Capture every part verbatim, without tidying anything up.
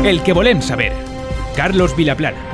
El que volem saber. Carlos Vilaplana.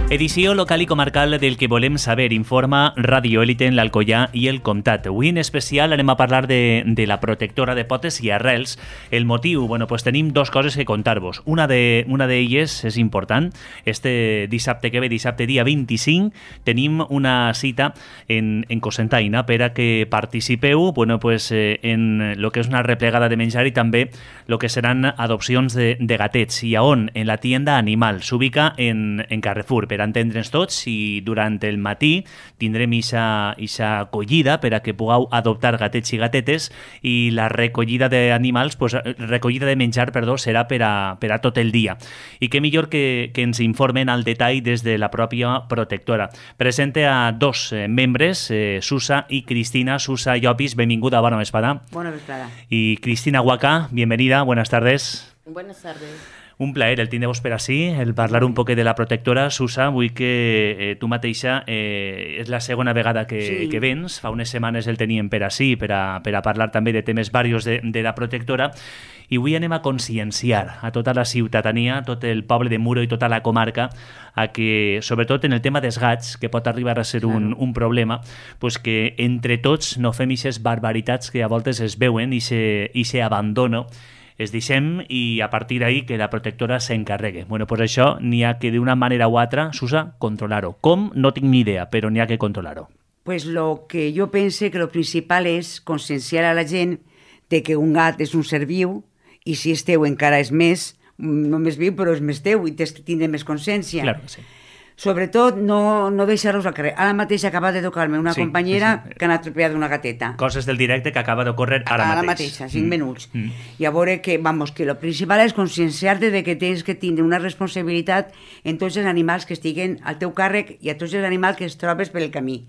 Edició local i comarcal del que volem saber, informa Radio Élite en l'Alcoià i el Comtat. Avui en especial anem a parlar de, de la protectora de potes i arrels. El motiu, bueno, pues tenim dos coses que contar-vos. Una de una d'elles és important. Este dissabte que ve, dissabte dia vint-i-cinc, tenim una cita en, en Cocentaina per a que participeu, bueno, pues, eh, en lo que és una replegada de menjar i també lo que seran adopcions de, de gatets. I a on? En la tienda Animal. S'ubica en, en Carrefour. Per entendre'ns tots, i durant el matí tindrem ixa, ixa acollida per a que pugueu adoptar gatets i gatetes, i la recollida d'animals, pues, recollida de menjar, perdó, serà per a, per a tot el dia. I què millor que, que ens informen al detall des de la pròpia protectora. Presente a dos eh, membres, eh, Susa i Cristina. Susa Llopis, benvinguda, bona vesprada. Bona vesprada. Y Cristina Huaca, bienvenida, buenas tardes. Buenas tardes. Un plaer el tindre-vos per ací, el parlar un poc de la protectora. Susa, vull que eh, tu mateixa eh, és la segona vegada que, sí. que vens. Fa unes setmanes el teníem per ací, per a, per a parlar també de temes varios de, de la protectora, i avui anem a conscienciar a tota la ciutadania, tot el poble de Muro i tota la comarca, a que, sobretot en el tema dels gats, que pot arribar a ser claro. un, un problema, pues que entre tots no fem ixes barbaritats que a voltes es veuen i se, i se abandono, es deixem, i a partir d'ahí que la protectora s'encarregue. Bueno, pues això n'hi ha que d'una manera o altra, Susa, controlar-ho. Com? No tinc ni idea, però n'hi ha que controlar-ho. Pues lo que jo pense que lo principal és conscienciar a la gent de que un gat és un ser viu, i si és teu encara és més, no més viu, però és més teu, i tens que tindre més consciència. Claro que sí. Sobretot, no, no deixar-los al carrer. Ara mateix acaba de tocar-me una sí, companyera sí, sí. que ha atropellat una gateta. Coses del directe que acaba d'ocórrer ara, ara mateix. Ara mateix, cinc mm. minuts. Mm. I a veure que, vamos, que lo principal és conscienciar-te de que tens que tindre una responsabilitat en tots els animals que estiguen al teu càrrec i a tots els animals que es trobes per el camí.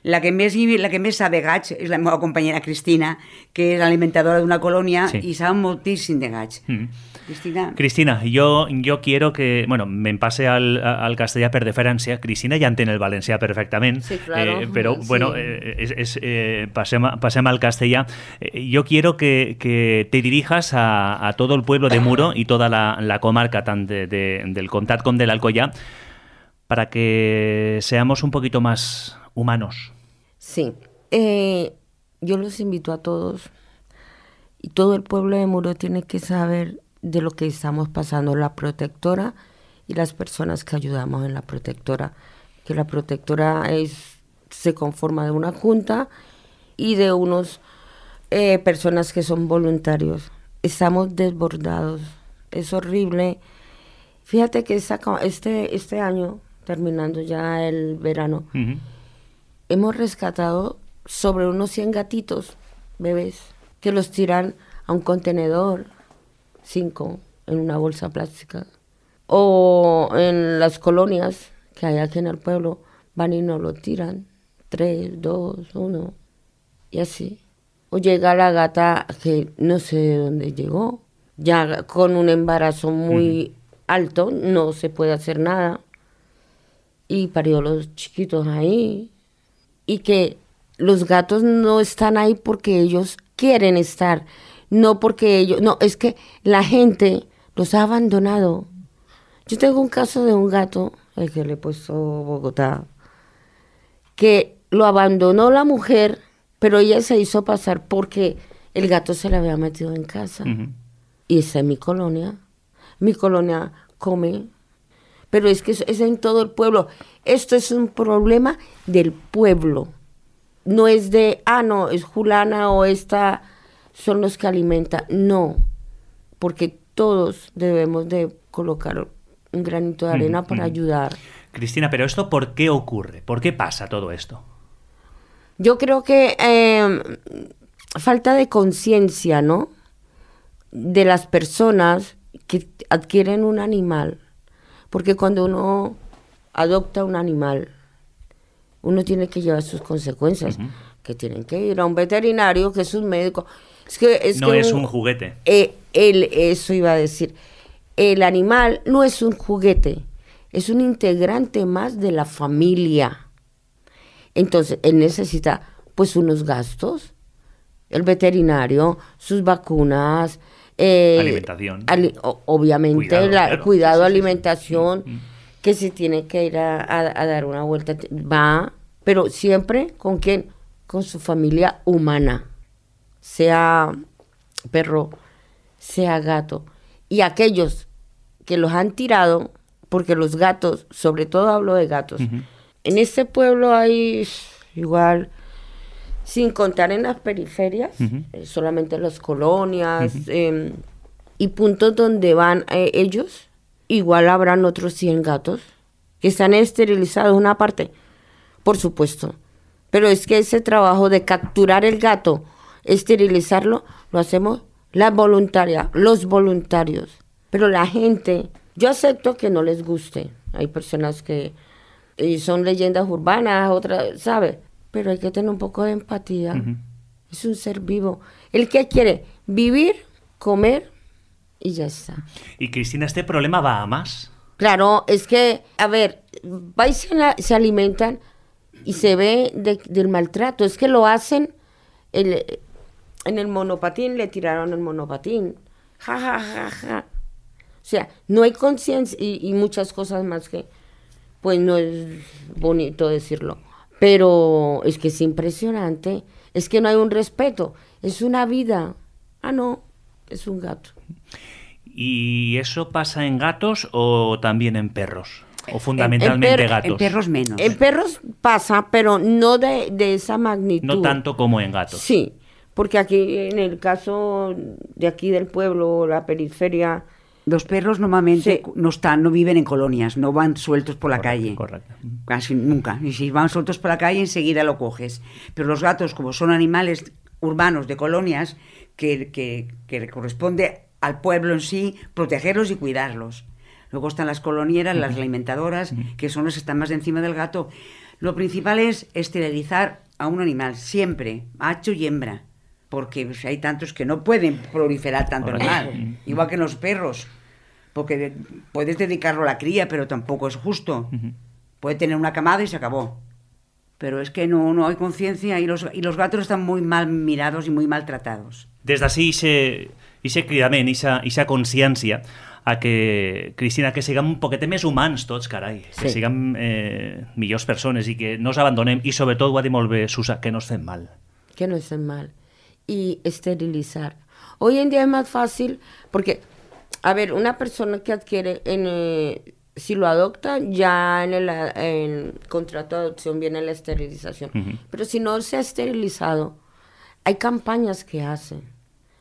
La que més, la que més sap de gats és la meva companyera Cristina, que és alimentadora d'una colònia sí. i sap moltíssim de gats. Mm. Cristina. Cristina, yo, yo quiero que, bueno, me pase al, al castellà per deferència. Cristina ja entén el valencià perfectament, sí, claro. eh, però, sí. bueno, eh, es, es, eh, pasem, pasem al castellà. Eh, yo quiero que, que te dirijas a, a todo el pueblo de Muro y toda la, la comarca, tant de, de, del Comtat com de l'Alcoià, para que seamos un poquito más humanos. Sí, eh, yo los invito a todos, y todo el pueblo de Muro tiene que saber de lo que estamos pasando la protectora y las personas que ayudamos en la protectora, que la protectora es, se conforma de una junta y de unos eh, personas que son voluntarios. Estamos desbordados, es horrible. Fíjate que esta, este, este año, terminando ya el verano, uh-huh. hemos rescatado sobre unos cien gatitos, bebés, que los tiran a un contenedor, cinco en una bolsa plástica, o en las colonias que hay aquí en el pueblo, van y nos lo tiran, tres, dos, uno, y así. O llega la gata que no sé de dónde llegó, ya con un embarazo muy uh-huh. alto, no se puede hacer nada, y parió los chiquitos ahí, y que los gatos no están ahí porque ellos quieren estar, no porque ellos, no, es que la gente los ha abandonado. Yo tengo un caso de un gato, el que le he puesto Bogotá, que lo abandonó la mujer, pero ella se hizo pasar porque el gato se le había metido en casa. Uh-huh. Y está en mi colonia. Mi colonia come, pero es que es, es en todo el pueblo. Esto es un problema del pueblo. No es de, ah, no, es Julana o esta... son los que alimentan, no, porque todos debemos de colocar un granito de arena mm, para mm. ayudar. Cristina, pero ¿esto por qué ocurre? ¿Por qué pasa todo esto? Yo creo que eh, falta de conciencia, ¿no? De las personas que adquieren un animal, porque cuando uno adopta un animal, uno tiene que llevar sus consecuencias, uh-huh. que tienen que ir a un veterinario, que es un médico. Es que, es no que es un, un juguete. Eh, él, eso iba a decir. El animal no es un juguete, es un integrante más de la familia. Entonces, él necesita pues unos gastos el veterinario, sus vacunas, eh, alimentación. Ali, o, obviamente, cuidado, la, claro. cuidado, sí, sí, alimentación, sí, sí. que si tiene que ir a, a, a dar una vuelta, va, pero siempre con quién, con su familia humana, sea perro, sea gato. Y aquellos que los han tirado, porque los gatos, sobre todo hablo de gatos, uh-huh. en este pueblo hay igual, sin contar en las periferias, uh-huh. eh, solamente las colonias, uh-huh. eh, y puntos donde van eh, ellos, igual habrán otros cien gatos que están esterilizados, una parte, por supuesto. Pero es que ese trabajo de capturar el gato, esterilizarlo, lo hacemos las voluntarias, los voluntarios. Pero la gente, yo acepto que no les guste. Hay personas que y son leyendas urbanas, otras, ¿sabe? Pero hay que tener un poco de empatía. Uh-huh. Es un ser vivo. El que quiere vivir, comer y ya está. Y Cristina, ¿este problema va a más? Claro, es que, a ver, va y se, la, se alimentan y se ve de, del maltrato. Es que lo hacen el, en el monopatín, le tiraron el monopatín. Ja, ja, ja, ja. O sea, no hay conciencia y, y muchas cosas más que, pues no es bonito decirlo. Pero es que es impresionante. Es que no hay un respeto. Es una vida. Ah, no, es un gato. ¿Y eso pasa en gatos o también en perros? ¿O fundamentalmente en, en per- gatos? En perros menos. En perros pasa, pero no de, de esa magnitud. No tanto como en gatos. Sí, porque aquí en el caso de aquí del pueblo, la periferia... Los perros normalmente sí. no están, no viven en colonias, no van sueltos por la correcto, calle. Correcto. Casi nunca. Y si van sueltos por la calle, enseguida lo coges. Pero los gatos, como son animales urbanos de colonias, que, que, que corresponde al pueblo en sí protegerlos y cuidarlos. Luego están las colonieras, uh-huh. las alimentadoras, uh-huh. que son las que están más encima del gato. Lo principal es esterilizar a un animal, siempre, macho y hembra. Porque pues, hay tantos que no pueden proliferar tanto Ahora, animal, sí. igual que en los perros, porque de, puedes dedicarlo a la cría, pero tampoco es justo. Uh-huh. Puede tener una camada y se acabó. Pero es que no, no hay conciencia y los, y los gatos están muy mal mirados y muy maltratados. Des d'ací ixe cridament, ixa consciència a que, Cristina, que siguem un poquet més humans tots, carai, sí. que siguem eh, millors persones i que no ens abandonem i sobretot, ho ha dit molt bé Susa, que no ens fem mal. Que no estén mal. Y esterilizar. Hoy en día es más fácil porque, a ver, una persona que adquiere, en, eh, si lo adopta, ya en el en contrato de adopción viene la esterilización. Uh-huh. Pero si no se ha esterilizado, hay campañas que hacen.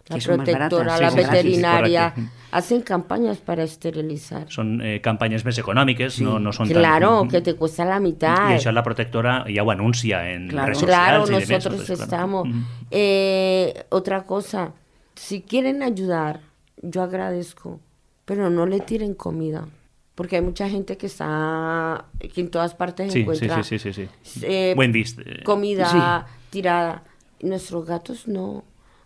La protectora, la sí, veterinaria, sí, sí, hacen campañas para esterilizar. Són eh, campanyes més econòmiques, sí. no, no són claro, tan... que te cuesta la mitad. I això la protectora ja ho anuncia en claro. redes socials. Claro, y nosotros demás, pues, estamos. Claro. Eh, otra cosa, si quieren ayudar, yo agradezco, pero no le tiren comida. Porque hay mucha gente que está, que en todas partes sí, encuentra sí, sí, sí, sí. Eh, Buen vist. comida sí. tirada. Nuestros gatos no.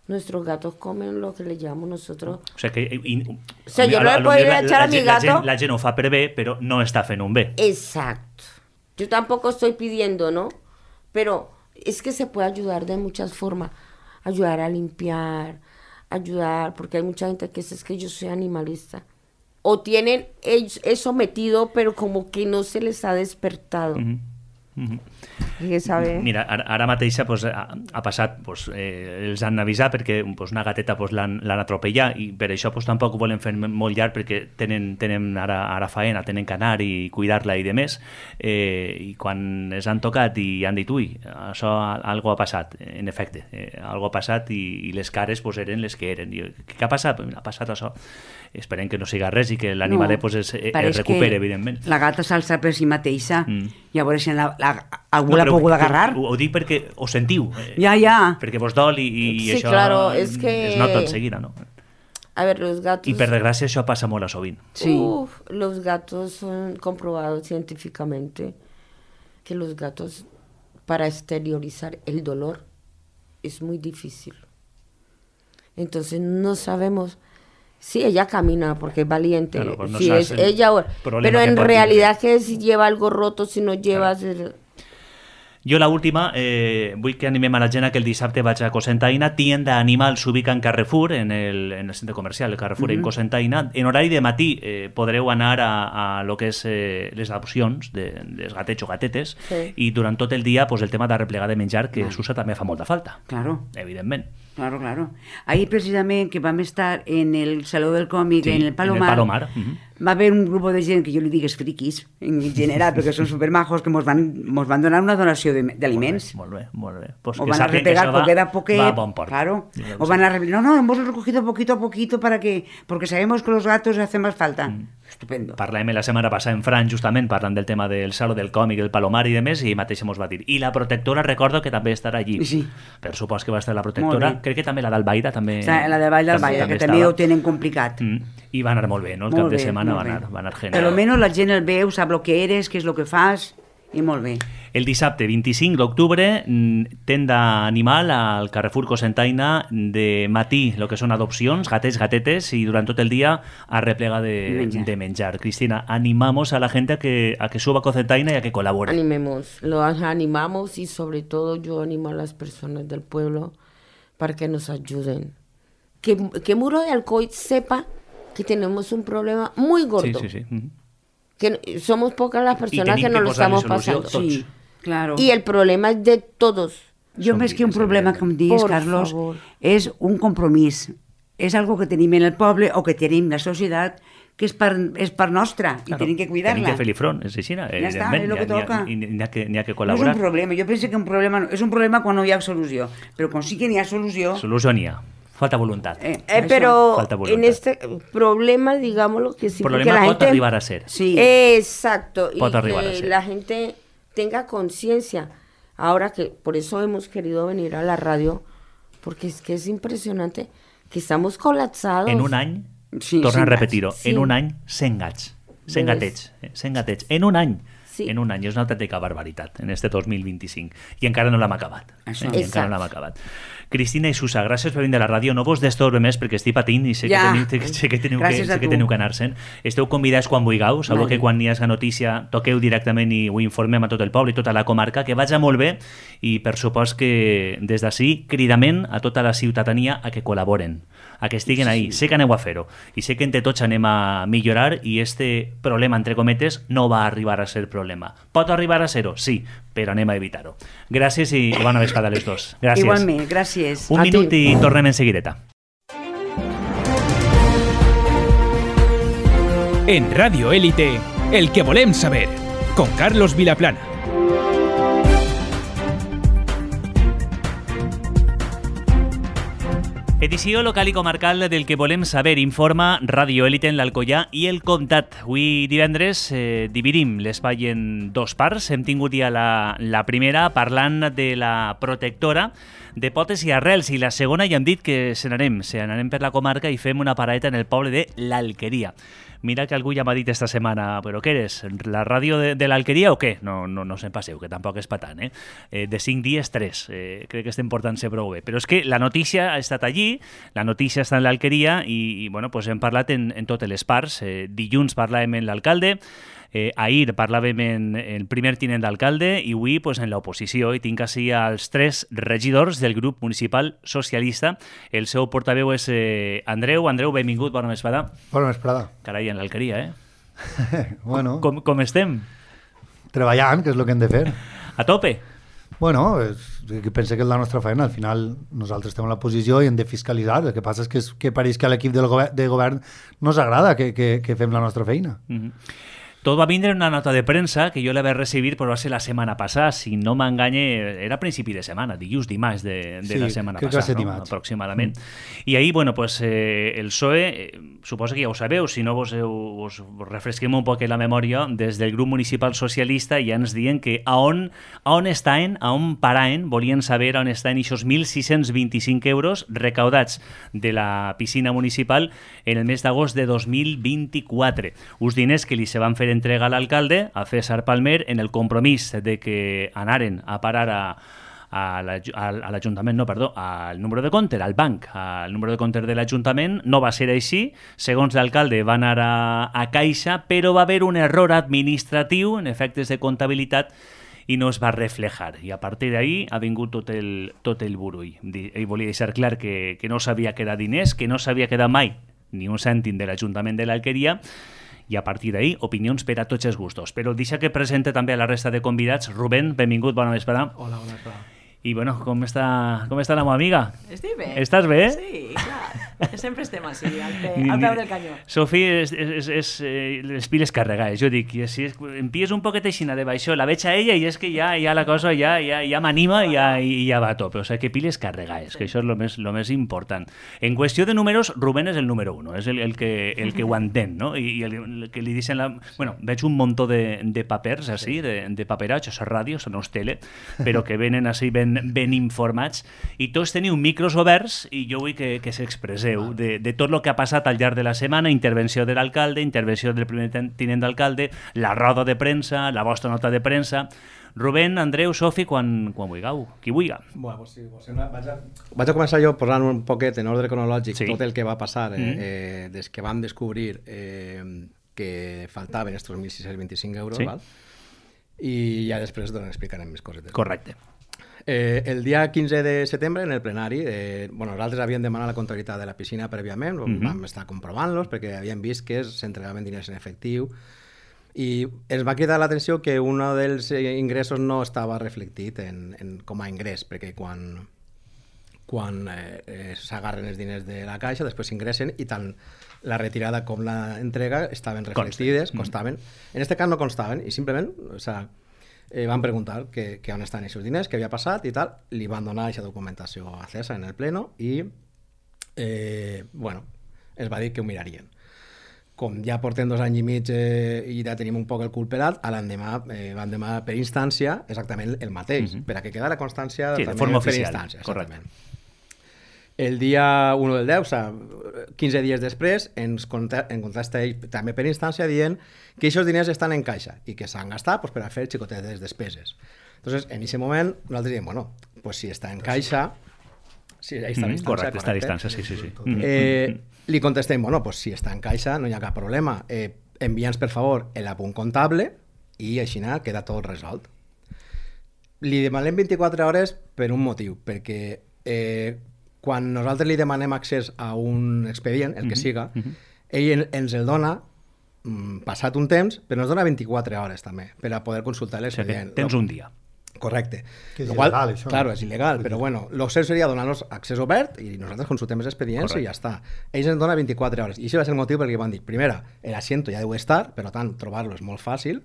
Nuestros gatos comen lo que le llamamos nosotros. O sea, que, y, o sea yo no le puedo ir a echar a mi gato. La gent, la gent ho fa per bé, però no està fent un bé. Exacto. Yo tampoco estoy pidiendo, ¿no? Pero es que se puede ayudar de muchas formas. Ayudar a limpiar, ayudar, porque hay mucha gente que dice es que yo soy animalista. O tienen eso metido, pero como que no se les ha despertado. Uh-huh. Uh-huh. Sabe? Mira, ara, ara mateixa pues, ha, ha passat, pues, eh, els han avisat perquè pues, una gateta pues, l'han, l'han atropellat i per això pues, tampoc ho volen fer molt llarg perquè tenen, tenen ara, ara faena, tenen que anar i cuidar-la i de més eh, i quan es han tocat i han dit ui, això algo ha passat, en efecte, eh, algo ha passat i, i les cares pues, eren les que eren. I, què ha passat? Ha passat això. Esperem que no siga res i que l'animalet no, pues, es, es recupere, evidentment. La gata s'alça per si mateixa, mm. llavors si la, la, algú no, l'ha pogut agarrar. Ho, ho dic perquè ho sentiu. Eh, ja, ja. Perquè vos dol i, i sí, això claro, es, que... es nota enseguida, no? A ver, los gatos... I per desgràcia això passa molt a sovint. Sí. Uf, los gatos son comprobados científicamente que los gatos para exteriorizar el dolor es muy difícil. Entonces no sabemos... Sí, ella camina porque es valiente, claro, pues no sí, es ella, pero en realidad que si lleva algo roto, si no lleva... Claro. Jo la última, eh, vull que animem a la gent a que el dissabte vaig a Cocentaina. Tienda Animal s'ubica en Carrefour, en el, en el centre comercial, el Carrefour, mm-hmm. en Cocentaina. En horari de matí eh, podreu anar a, a lo que és eh, les adopcions de, dels gatets o gatetes, sí. i durant tot el dia pues, el tema de replegar de menjar, que ah. s'usa també fa molta falta. Claro. Evidentment. Claro, claro. Ahí precisament que vam estar en el Saló del Còmic, sí, en el Palomar, en el Palomar. Uh-huh. Va haver un grup de gent que jo li digues friquis, en general, perquè són supermajos, que mos van, mos van donar una donació d'aliments. Molt bé, molt bé. Pues o van a repegar poquet a poquet. Va a bon port. Claro. O van a repegar, no, no, hemos recogido poquito a poquito para que, porque sabemos que los gatos hacen más falta. Mm. Estupendo. Parlem la setmana passada en Fran, justament, parlant del tema del Saló del Còmic, el Palomar i demés, i mateix mos va dir. I la protectora, recordo que també estarà allí. Sí. Per supòs que va estar la protectora. Crec que també la d'Albaida també... Sí, la de Vall d'Albaida, que també ho tenen complicat. Mm. I va anar molt bé, no? El molt cap de bé, setmana va anar, va anar genial. Per almenys la gent el veu, sap el que eres, què és el que fas, i molt bé. El dissabte vint-i-cinc d'octubre, tenda animal al Carrefour Cocentaina, de matí, el que són adopcions, gatets, gatetes, i durant tot el dia a replega de menjar. De menjar. Cristina, animamos a la gente a que, a que suba a Cocentaina y a que colabore. Animemos, lo animamos y sobre todo yo animo a las personas del pueblo para que nos ayuden. Que, que Muro de Alcoy sepa que tenemos un problema muy gordo. Sí, sí, sí. Uh-huh. Que somos pocas las personas que nos lo estamos pasando. Sí, claro. Y el problema es de todos. Jo més que un problema, com digues, Carlos, favor. És un compromís. És algo que tenim en el poble o que tenim la societat que és per, és per nostra i claro, tenim que cuidar-la. Tenim que fer-li front, és així. Ja està, és el que toca. N'hi ha, ha, ha que col·laborar. No és un problema, jo penso que un problema no, és un problema quan no hi ha solució, però quan sí que n'hi ha solució... Solució n'hi ha. Falta voluntad. Eh, eh, pero Falta voluntad. En este problema, digámoslo que sí. Problema la pot gente... arribar a ser. Sí. Exacto. Pot y arribar que a ser. La gente tenga conciencia. Ahora que por eso hemos querido venir a la radio, porque es que es impresionante que estamos colapsados. En un any, sí, torna a repetir-ho, sí. en un any, cent gats. cent gatets. cent gatets. En un any. Sí. En un any. És una autèntica barbaritat en este dos mil vint-i-cinc. I encara no l'hem acabat. Això. Eh? I encara no l'hem acabat. Cristina i Susa, gràcies per venir a la ràdio. No vos destorbe més perquè estic patint i sé ja. que teniu, sé que, teniu que, sé que teniu que anar-se'n. Esteu convidats quan vulgueu. Sabeu vale. Que quan hi hagi notícia toqueu directament i ho informem a tot el poble i tota la comarca. Que vaja molt bé i per supost que des d'ací cridament a tota la ciutadania a que col·laboren, a que estiguen ahí. Sí. Sé que aneu a fer-ho i sé que entre tots anem a millorar i este problema, entre cometes, no va arribar a ser problema. Pot arribar a ser-ho? Sí, però anem a evitar-ho. Gràcies i bona vesprada a les dos. Gràcies. Igualment, gràcies. Un a minut ti. I tornem en seguideta. En Radio Élite, el que volem saber, con Carlos Vilaplana. Edició local i comarcal del que volem saber, informa Radio Élite en l'Alcoià i el Comtat. Avui divendres eh, dividim l'espai en dos parts. Hem tingut ja la, la primera parlant de la protectora de potes i arrels i la segona ja hem dit que se n'anem, se n'anem per la comarca i fem una paradeta en el poble de l'Alqueria. Mira que algú ja m'ha dit esta setmana, però què eres, la ràdio de, de l'Alqueria o què? No, no, no se'n passeu, que tampoc és patant, eh? eh de cinc dies, tres. Eh, crec que estem portant-se prou bé. Però és que la notícia ha estat allí, la notícia està en l'Alqueria i, i bueno, pues hem parlat en, en totes les parts. Eh, dilluns parlàvem amb l'alcalde, Eh, ahir parlàvem en el primer tinent d'alcalde i avui pues, en l'oposició i tinc així els tres regidors del grup municipal socialista. El seu portaveu és eh, Andreu. Andreu, benvingut, bona vesprada. Bona vesprada. Carai, en l'alqueria, eh? Bueno. Com, com estem? Treballant, que és el que hem de fer. A tope? Bueno, és, que pense que és la nostra feina. Al final nosaltres estem en la posició i hem de fiscalitzar. El que passa és que, és, que pareix que a l'equip del govern, de govern no ens agrada que, que, que fem la nostra feina. Mm-hmm. Tot va vindre una nota de premsa que jo la vaig recibir, però va ser la setmana passada, si no m'enganye, era a principi de setmana, dilluns, dimarts de, de sí, la setmana passada, no? Aproximadament. Mm. I ahir, bueno, pues, eh, el P S O E, eh, suposo que ja ho sabeu, si no vos, vos refresquem un poc la memòria, des del grup municipal socialista ja ens diuen que a on, a on estaven, a on paraven, volien saber on estaven aquests mil sis-cents vint-i-cinc euros recaudats de la piscina municipal en el mes d'agost de dos mil vint-i-quatre. Uns diners que li se van fer entrega a l'alcalde, a César Palmer, en el compromís de que anaren a parar a, a l'Ajuntament, no, perdó, al número de compte, al banc, al número de compte de l'Ajuntament. No va ser així. Segons l'alcalde, va anar a, a Caixa, però va haver un error administratiu en efectes de comptabilitat i no es va reflejar. I a partir d'ahí ha vingut tot el, tot el burull. Ell volia deixar clar que, que no s'havia quedat diners, que no s'havia quedat mai ni un cèntim de l'Ajuntament de l'Alqueria, i a partir d'ahí, opinions per a tots els gustos. Però deixa que presente també a la resta de convidats. Rubén, benvingut, bona vesprada. Hola, bona vesprada. I bueno, com està, com està la meva amiga? Estic bé. Estàs bé? Sí, clar. Sempre estem així, al, pe, al peu del canyó. Sofi, és, és, és, eh, les piles carregades. Jo dic, si és, em pilles un poquet aixina de baixó, la veig a ella i és que ja, ja la cosa ja, ja, ja m'anima i ja, i ja va a tope. O sigui, que piles carregades, sí. Que això és el més, lo més important. En qüestió de números, Rubén és el número uno, és el, el, que, el que ho entén, no? I, i el, el que li dicen... La... Bueno, veig un muntó de, de papers, així, de, de paperatge, a ràdio, no és tele, però que venen així ben, ben informats, i tots teniu micros oberts i jo vull que, que s'expresseu de, de tot el que ha passat al llarg de la setmana, intervenció de l'alcalde, intervenció del primer tinent d'alcalde, la roda de premsa, la vostra nota de premsa. Rubén, Andreu, Sofi, quan, quan vulgueu, qui vulga. Bueno, pues sí, pues una, vaig, a, vaig a començar jo posant un poquet en ordre cronològic sí. tot el que va passar eh, mm. eh, des que vam descobrir eh, que faltaven estos mil sis-cents vint-i-cinc euros, sí. Val? I ja després doncs, explicarem més coses. Correcte. Eh, el dia quinze de setembre, en el plenari, eh, bueno, nosaltres havíem demanat la comptabilitat de la piscina prèviament, mm-hmm. vam estar comprovant-los perquè havíem vist que s'entregaven diners en efectiu i ens va cridar l'atenció que un dels ingressos no estava reflectit en, en, com a ingrés, perquè quan, quan eh, eh, s'agarren els diners de la caixa, després s'ingressen i tant la retirada com l'entrega estaven reflectides, constaven. Mm-hmm. En aquest cas no constaven i simplement, o sea, Eh, van preguntar que, que on estan aquests diners, què havia passat i tal, li van donar aquesta documentació a César en el pleno i eh, bueno, es va dir que ho mirarien. Com ja portem dos anys i mig eh, i ja tenim un poc el cul pelat, a l'endemà eh, van demanar per instància exactament el mateix, mm-hmm. per a que queda la constància sí, també de forma per oficial, instància. Correcte. El dia u del deu, o sigui, quinze dies després, ens contesta ell també per instància dient que aquests diners estan en caixa i que s'han gastat pues, per a fer xicotetes despeses. Entonces, en aquest moment, nosaltres diem, bueno, pues si està en caixa... Sí, ahí està mm, distància, correcte, està a distància, sí, sí, sí. Eh, li contestem, bueno, pues si està en caixa no hi ha cap problema. Eh, envia'ns, per favor, l'apunt comptable i així queda tot resolt. Li demanem vint-i-quatre hores per un motiu, perquè... Eh, quan nosaltres li demanem accés a un expedient, el que siga, mm-hmm. ell ens el dona mm, passat un temps, però ens dona vint-i-quatre hores també, per a poder consultar l'expedient. O sigui, tens un dia. Correcte. Que és qual, il·legal, això. Claro, és il·legal, però bueno, el cert seria donar-nos accés obert i nosaltres consultem els expedients Correcte. I ja està. Ells ens donen vint-i-quatre hores. I això va ser el motiu perquè van dir, primera, l'asiento ja deu estar, per tant, trobar-lo és molt fàcil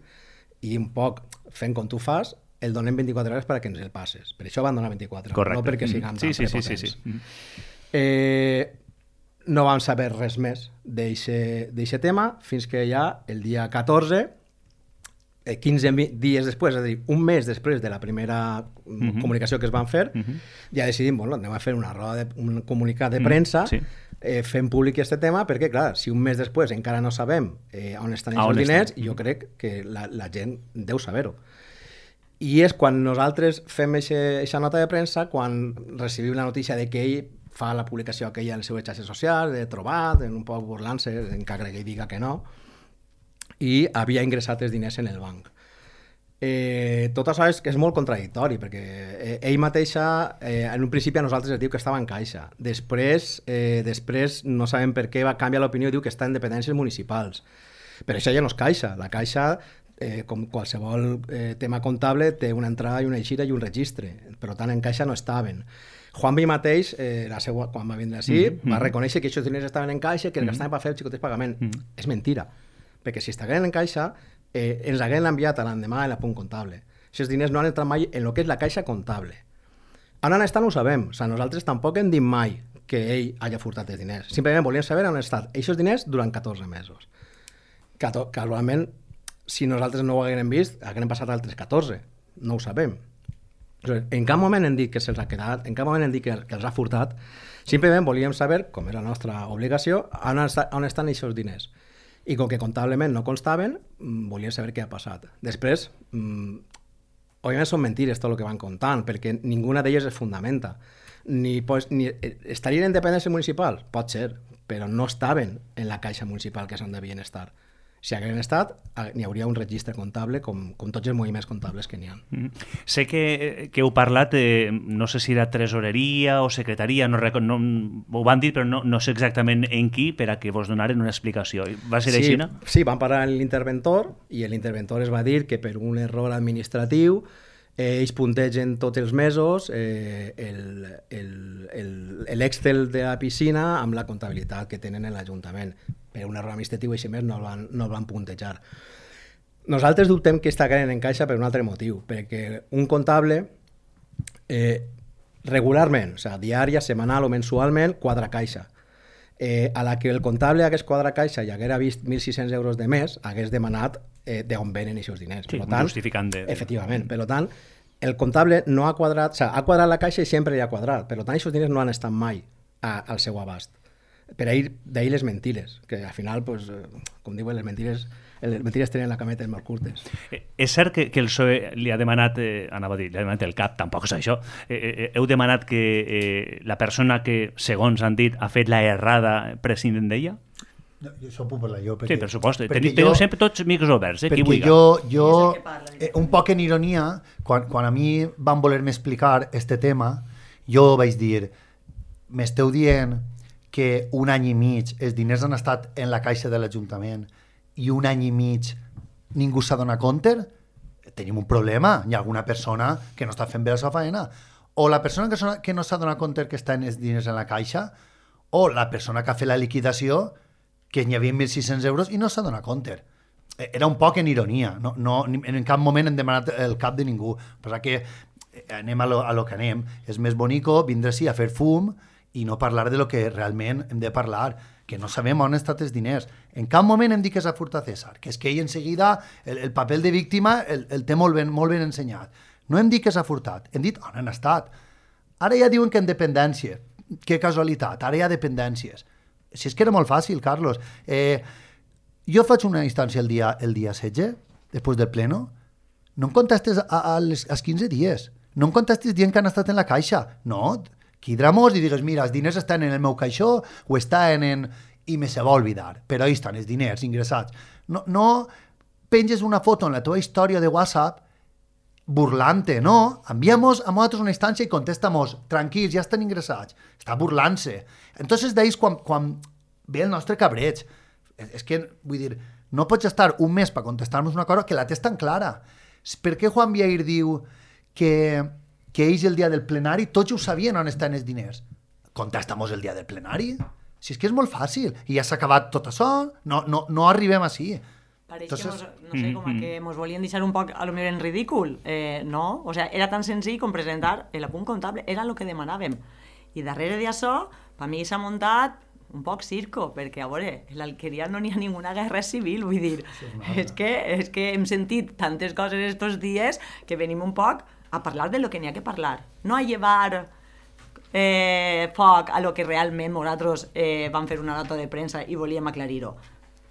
i un poc fent com tu fas, el donem vint-i-quatre hores perquè ens el passes. Per això van donar vint-i-quatre hores, Correcte. No perquè siguem sí, tan sí, prepotents. Sí, sí, sí. Eh, no vam saber res més d'aquest tema fins que ja el dia catorze, eh, quinze dies després, és a dir, un mes després de la primera mm-hmm. comunicació que es van fer, mm-hmm. ja decidim, bueno, anem a fer una roda de, un comunicat de premsa mm-hmm. sí. eh, fent públic aquest tema, perquè clar, si un mes després encara no sabem eh, on estan els diners, jo crec que la, la gent deu saber-ho. I és quan nosaltres fem aquesta nota de premsa, quan recibim la notícia de que ell fa la publicació aquella en les seves xarxes socials, de trobat, en un poc burlant-se, encara que ell diga que no, i havia ingressat els diners en el banc. Eh, tot això és que és molt contradictori, perquè eh, ell mateixa, eh, en un principi a nosaltres es diu que estava en caixa. Després, eh, després no sabem per què va canviar l'opinió i diu que està en dependències municipals. Però això ja no és caixa. La caixa, eh, com qualsevol eh, tema comptable, té una entrada i una eixida i un registre. Per tant, en caixa no estaven. Juan B. mateix, eh, la seva, quan va vindre així, mm-hmm. va reconèixer que aquests diners estaven en caixa, que els gastaven per fer el xicotets pagament. Mm-hmm. És mentira, perquè si estaven en caixa, eh, ens hagueren enviat a l'endemà l'apunt comptable. Aquests diners no han entrat mai en el que és la caixa comptable. On han estat no ho sabem, o sigui, nosaltres tampoc hem dit mai que ell hagi furtat els diners. Simplement volíem saber on han estat aquests diners durant catorze mesos. Cato- casualment, si nosaltres no ho haguérem vist, haguérem passat altres catorze. No ho sabem. En cap moment hem dit que se'ls ha quedat, en cap moment hem dit que, que els ha furtat, simplement volíem saber, com és la nostra obligació, on, està, on estan aquests diners. I com que comptablement no constaven, volíem saber què ha passat. Després, mmm, òbviament són mentires tot el que van contant, perquè ninguna d'elles es fundamenta. Ni, pues, ni, estarien en dependència municipal? Pot ser, però no estaven en la caixa municipal que s'on devien estar. Si haguessin estat, n'hi hauria un registre comptable com, com tots els moviments comptables que n'hi ha. Mm. Sé que, que heu parlat, eh, no sé si era tresoreria o secretaria, no, no, ho van dir, però no, no sé exactament en qui, per a que vos donaren una explicació. Va ser sí, així, no? Sí, van parlar amb l'interventor i l'interventor es va dir que per un error administratiu eh, ells puntegen tots els mesos eh, l'Excel de la piscina amb la comptabilitat que tenen en l'Ajuntament. Per un error administratiu així més no el van, no el van puntejar. Nosaltres dubtem que està caient en caixa per un altre motiu, perquè un comptable eh, regularment, o sigui, diària, setmanal o mensualment, quadra caixa. Eh, a la que el comptable hagués quadra caixa i haguera vist mil sis-cents euros de mes, hagués demanat eh, d'on venen aquests diners. Sí, per tant, justificant de... Efectivament. Per tant, el comptable no ha quadrat, o sigui, ha quadrat la caixa i sempre hi ha quadrat. Per tant, aquests diners no han estat mai a, al seu abast. Per ahir, d'ahir les mentires, que al final, pues, com diuen, les mentires, les mentires tenen la cameta molt curtes. Eh, és cert que, que el P S O E li ha demanat, eh, anava a dir, li ha demanat el cap, tampoc és això, eh, eh, heu demanat que eh, la persona que, segons han dit, ha fet la errada prescindent d'ella? No, jo això puc parlar jo. Perquè, sí, per supost. Teniu, teniu sempre tots micros oberts, eh, qui vulgui. Jo, jo eh, un poc en ironia, quan, quan a mi van voler-me explicar este tema, jo vaig dir, m'esteu dient que un any i mig els diners han estat en la caixa de l'Ajuntament i un any i mig ningú s'ha donat compte, tenim un problema. Hi ha alguna persona que no està fent bé la seva feina. O la persona que, sona, que no s'ha donat compte que estan els diners en la caixa, o la persona que ha fet la liquidació, que n'hi havia mil sis-cents euros i no s'ha donat compte. Era un poc en ironia. No, no, en cap moment hem demanat el cap de ningú. Però que anem a lo, a lo que anem. És més bonico vindre així a fer fum i no parlar de lo que realment hem de parlar, que no sabem on han estat els diners. En cap moment hem dit que s'ha furtat César, que és que ell en seguida el, el paper de víctima el, el té molt ben, molt ben ensenyat. No hem dit que s'ha furtat, hem dit on han estat. Ara ja diuen que en dependència. Que casualitat, ara hi ha dependències. Si és que era molt fàcil, Carlos. Eh, jo faig una instància el dia, el dia setze, després del pleno, no em contestes a, a les, als quinze dies. No em contestes dient que han estat en la caixa. No, quidramos i digues, mira, els diners estan en el meu caixó o estan en... i me se va olvidar, però ahí estan els diners ingressats. No, no penges una foto en la teva història de WhatsApp burlante, no, enviamos a nosaltres una instància i contestamos, tranquils, ja estan ingressats. Està burlant-se. Entonces d'ahí quan, quan ve el nostre cabreig. És, és que, vull dir, no pots estar un mes per contestar-nos una cosa que la tens tan clara. Per què Juan Viair diu que, que ells el dia del plenari tots ho sabien on estan els diners? Contestamos el dia del plenari. Si és que és molt fàcil. I ja s'ha acabat tot això, no, no, no arribem així. Pareix Entonces, que mos, no sé, com que mos volien deixar un poc a lo millor en ridícul. Eh, no, o sea, era tan senzill com presentar l'apunt comptable, era el que demanàvem. I darrere d'això, per mi s'ha muntat un poc circo, perquè a veure, en l'Alqueria no n'hi ha ninguna guerra civil, vull dir, és que, és que hem sentit tantes coses estos dies que venim un poc a parlar de lo que n'hi ha que parlar, no a llevar eh, foc a lo que realment nosaltres eh, vam fer una nota de premsa i volíem aclarir-ho.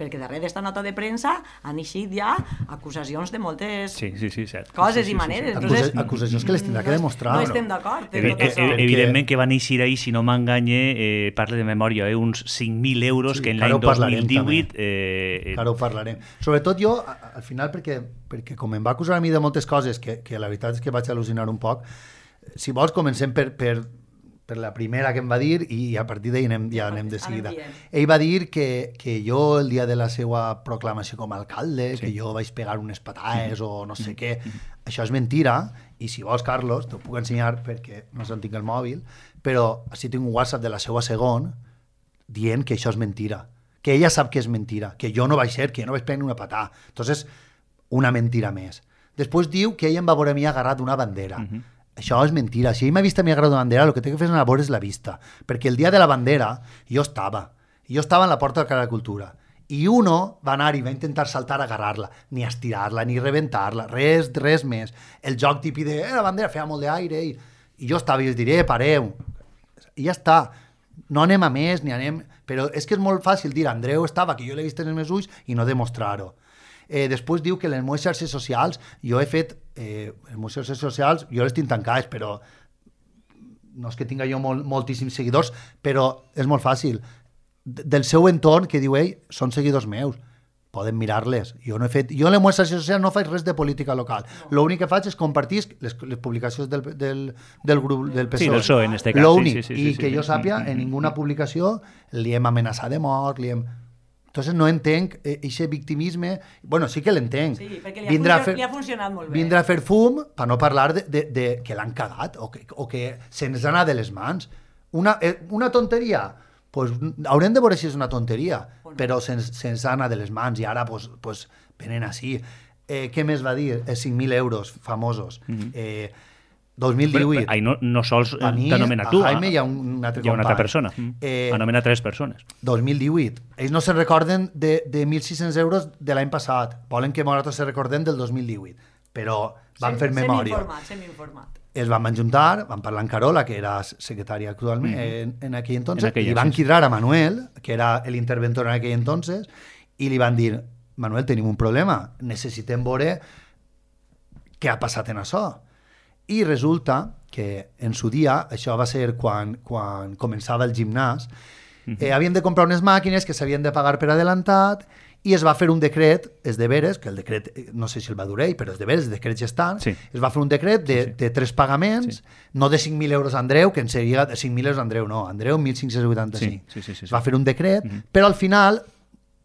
Perquè darrere d'esta nota de premsa han eixit ja acusacions de moltes sí, sí, sí, cert. coses sí, sí, i maneres. Sí, sí. Entonces, Acusa acusacions que les tindrà que demostrar. No estem d'acord. Evi tot això. ev evidentment que van eixir ahir, si no m'enganye, eh, parle de memòria, eh, uns cinc mil euros sí, que en l'any dos mil divuit... Eh, Ara ho parlarem. Sobretot jo, al final, perquè, perquè com em va acusar a mi de moltes coses, que, que la veritat és que vaig al·lucinar un poc, si vols comencem per... per per la primera que em va dir i a partir d'ahir anem, ja anem de seguida. Ell va dir que, que jo el dia de la seva proclamació com a alcalde, sí. que jo vaig pegar unes patades mm. o no sé mm. què, això és mentira i si vols, Carlos, t'ho puc ensenyar perquè no sé on tinc el mòbil, però així tinc un WhatsApp de la seva segon dient que això és mentira, que ella sap que és mentira, que jo no vaig ser, que jo no vaig prendre una patada. Entonces, una mentira més. Després diu que ella em va veure a mi agarrat una bandera. Mm-hmm. Això és mentira. Si ell m'ha vist a mi agarrar una bandera, el que té que fer és anar a veure és la vista. Perquè el dia de la bandera jo estava. Jo estava en la porta de Cara de Cultura. I uno va anar i va intentar saltar a agarrar-la. Ni estirar-la, ni rebentar-la. Res, res més. El joc típic de eh, la bandera feia molt d'aire. I, I jo estava i els diré, eh, pareu. I ja està. No anem a més, ni anem... Però és que és molt fàcil dir, Andreu estava, que jo l'he vist en els meus ulls, i no demostrar-ho. Eh, després diu que les meves xarxes socials, jo he fet, eh, les meves xarxes socials, jo les tinc tancades, però no és que tinga jo molt, moltíssims seguidors, però és molt fàcil. Del seu entorn, que diu ell, són seguidors meus. poden mirar-les. Jo no he fet, jo en les meves xarxes socials no faig res de política local. No. L'únic que faig és compartir les, les publicacions del, del, del grup del P S O E. Sí, del P S O E en este cas. L'únic. Sí, sí, sí, I sí, que sí. jo sàpia, en ninguna publicació li hem amenaçat de mort, li hem... Entonces no entenc aquest victimisme. Bueno, sí que l'entenc. Sí, perquè li ha, funcionat, fer, li ha funcionat molt bé. Vindre a fer fum per no parlar de, de, de que l'han cagat o que, o que se'ns ha anat de les mans. Una, una tonteria, pues, haurem de veure si és una tonteria, bueno. Però se'ns se ha anat de les mans i ara pues, pues, venen així. Eh, què més va dir? Eh, cinc mil euros famosos. Mm-hmm. eh, dos mil divuit. Ahí no, no sols t'anomena tu. A Jaime hi ha un altre hi ha una altra company. persona. Eh, Anomena tres persones. dos mil divuit. Ells no se'n recorden de, de mil sis-cents euros de l'any passat. Volen que nosaltres se recordem del dos mil divuit. Però van sí, fer memòria. Sem informat, sem informat. Es van ajuntar, van parlar amb Carola, que era secretària actualment mm-hmm. en, en aquell entonces, en aquella, i van sí. cridar a Manuel, que era l'interventor en aquell entonces, i li van dir, Manuel, tenim un problema, necessitem veure què ha passat en això. I resulta que en su dia, això va ser quan, quan començava el gimnàs, mm-hmm. eh, havien de comprar unes màquines que s'havien de pagar per adelantat i es va fer un decret, és de veres, que el decret, no sé si el va dur ell, però és de veres, els decrets ja estan, sí. Es va fer un decret de, sí, sí. de tres pagaments, sí. No de cinc mil euros a Andreu, que en seria de cinc mil euros a Andreu, no, Andreu mil cinc-cents vuitanta-cinc. Sí, sí, sí, sí, sí. Es va fer un decret, mm-hmm. Però al final,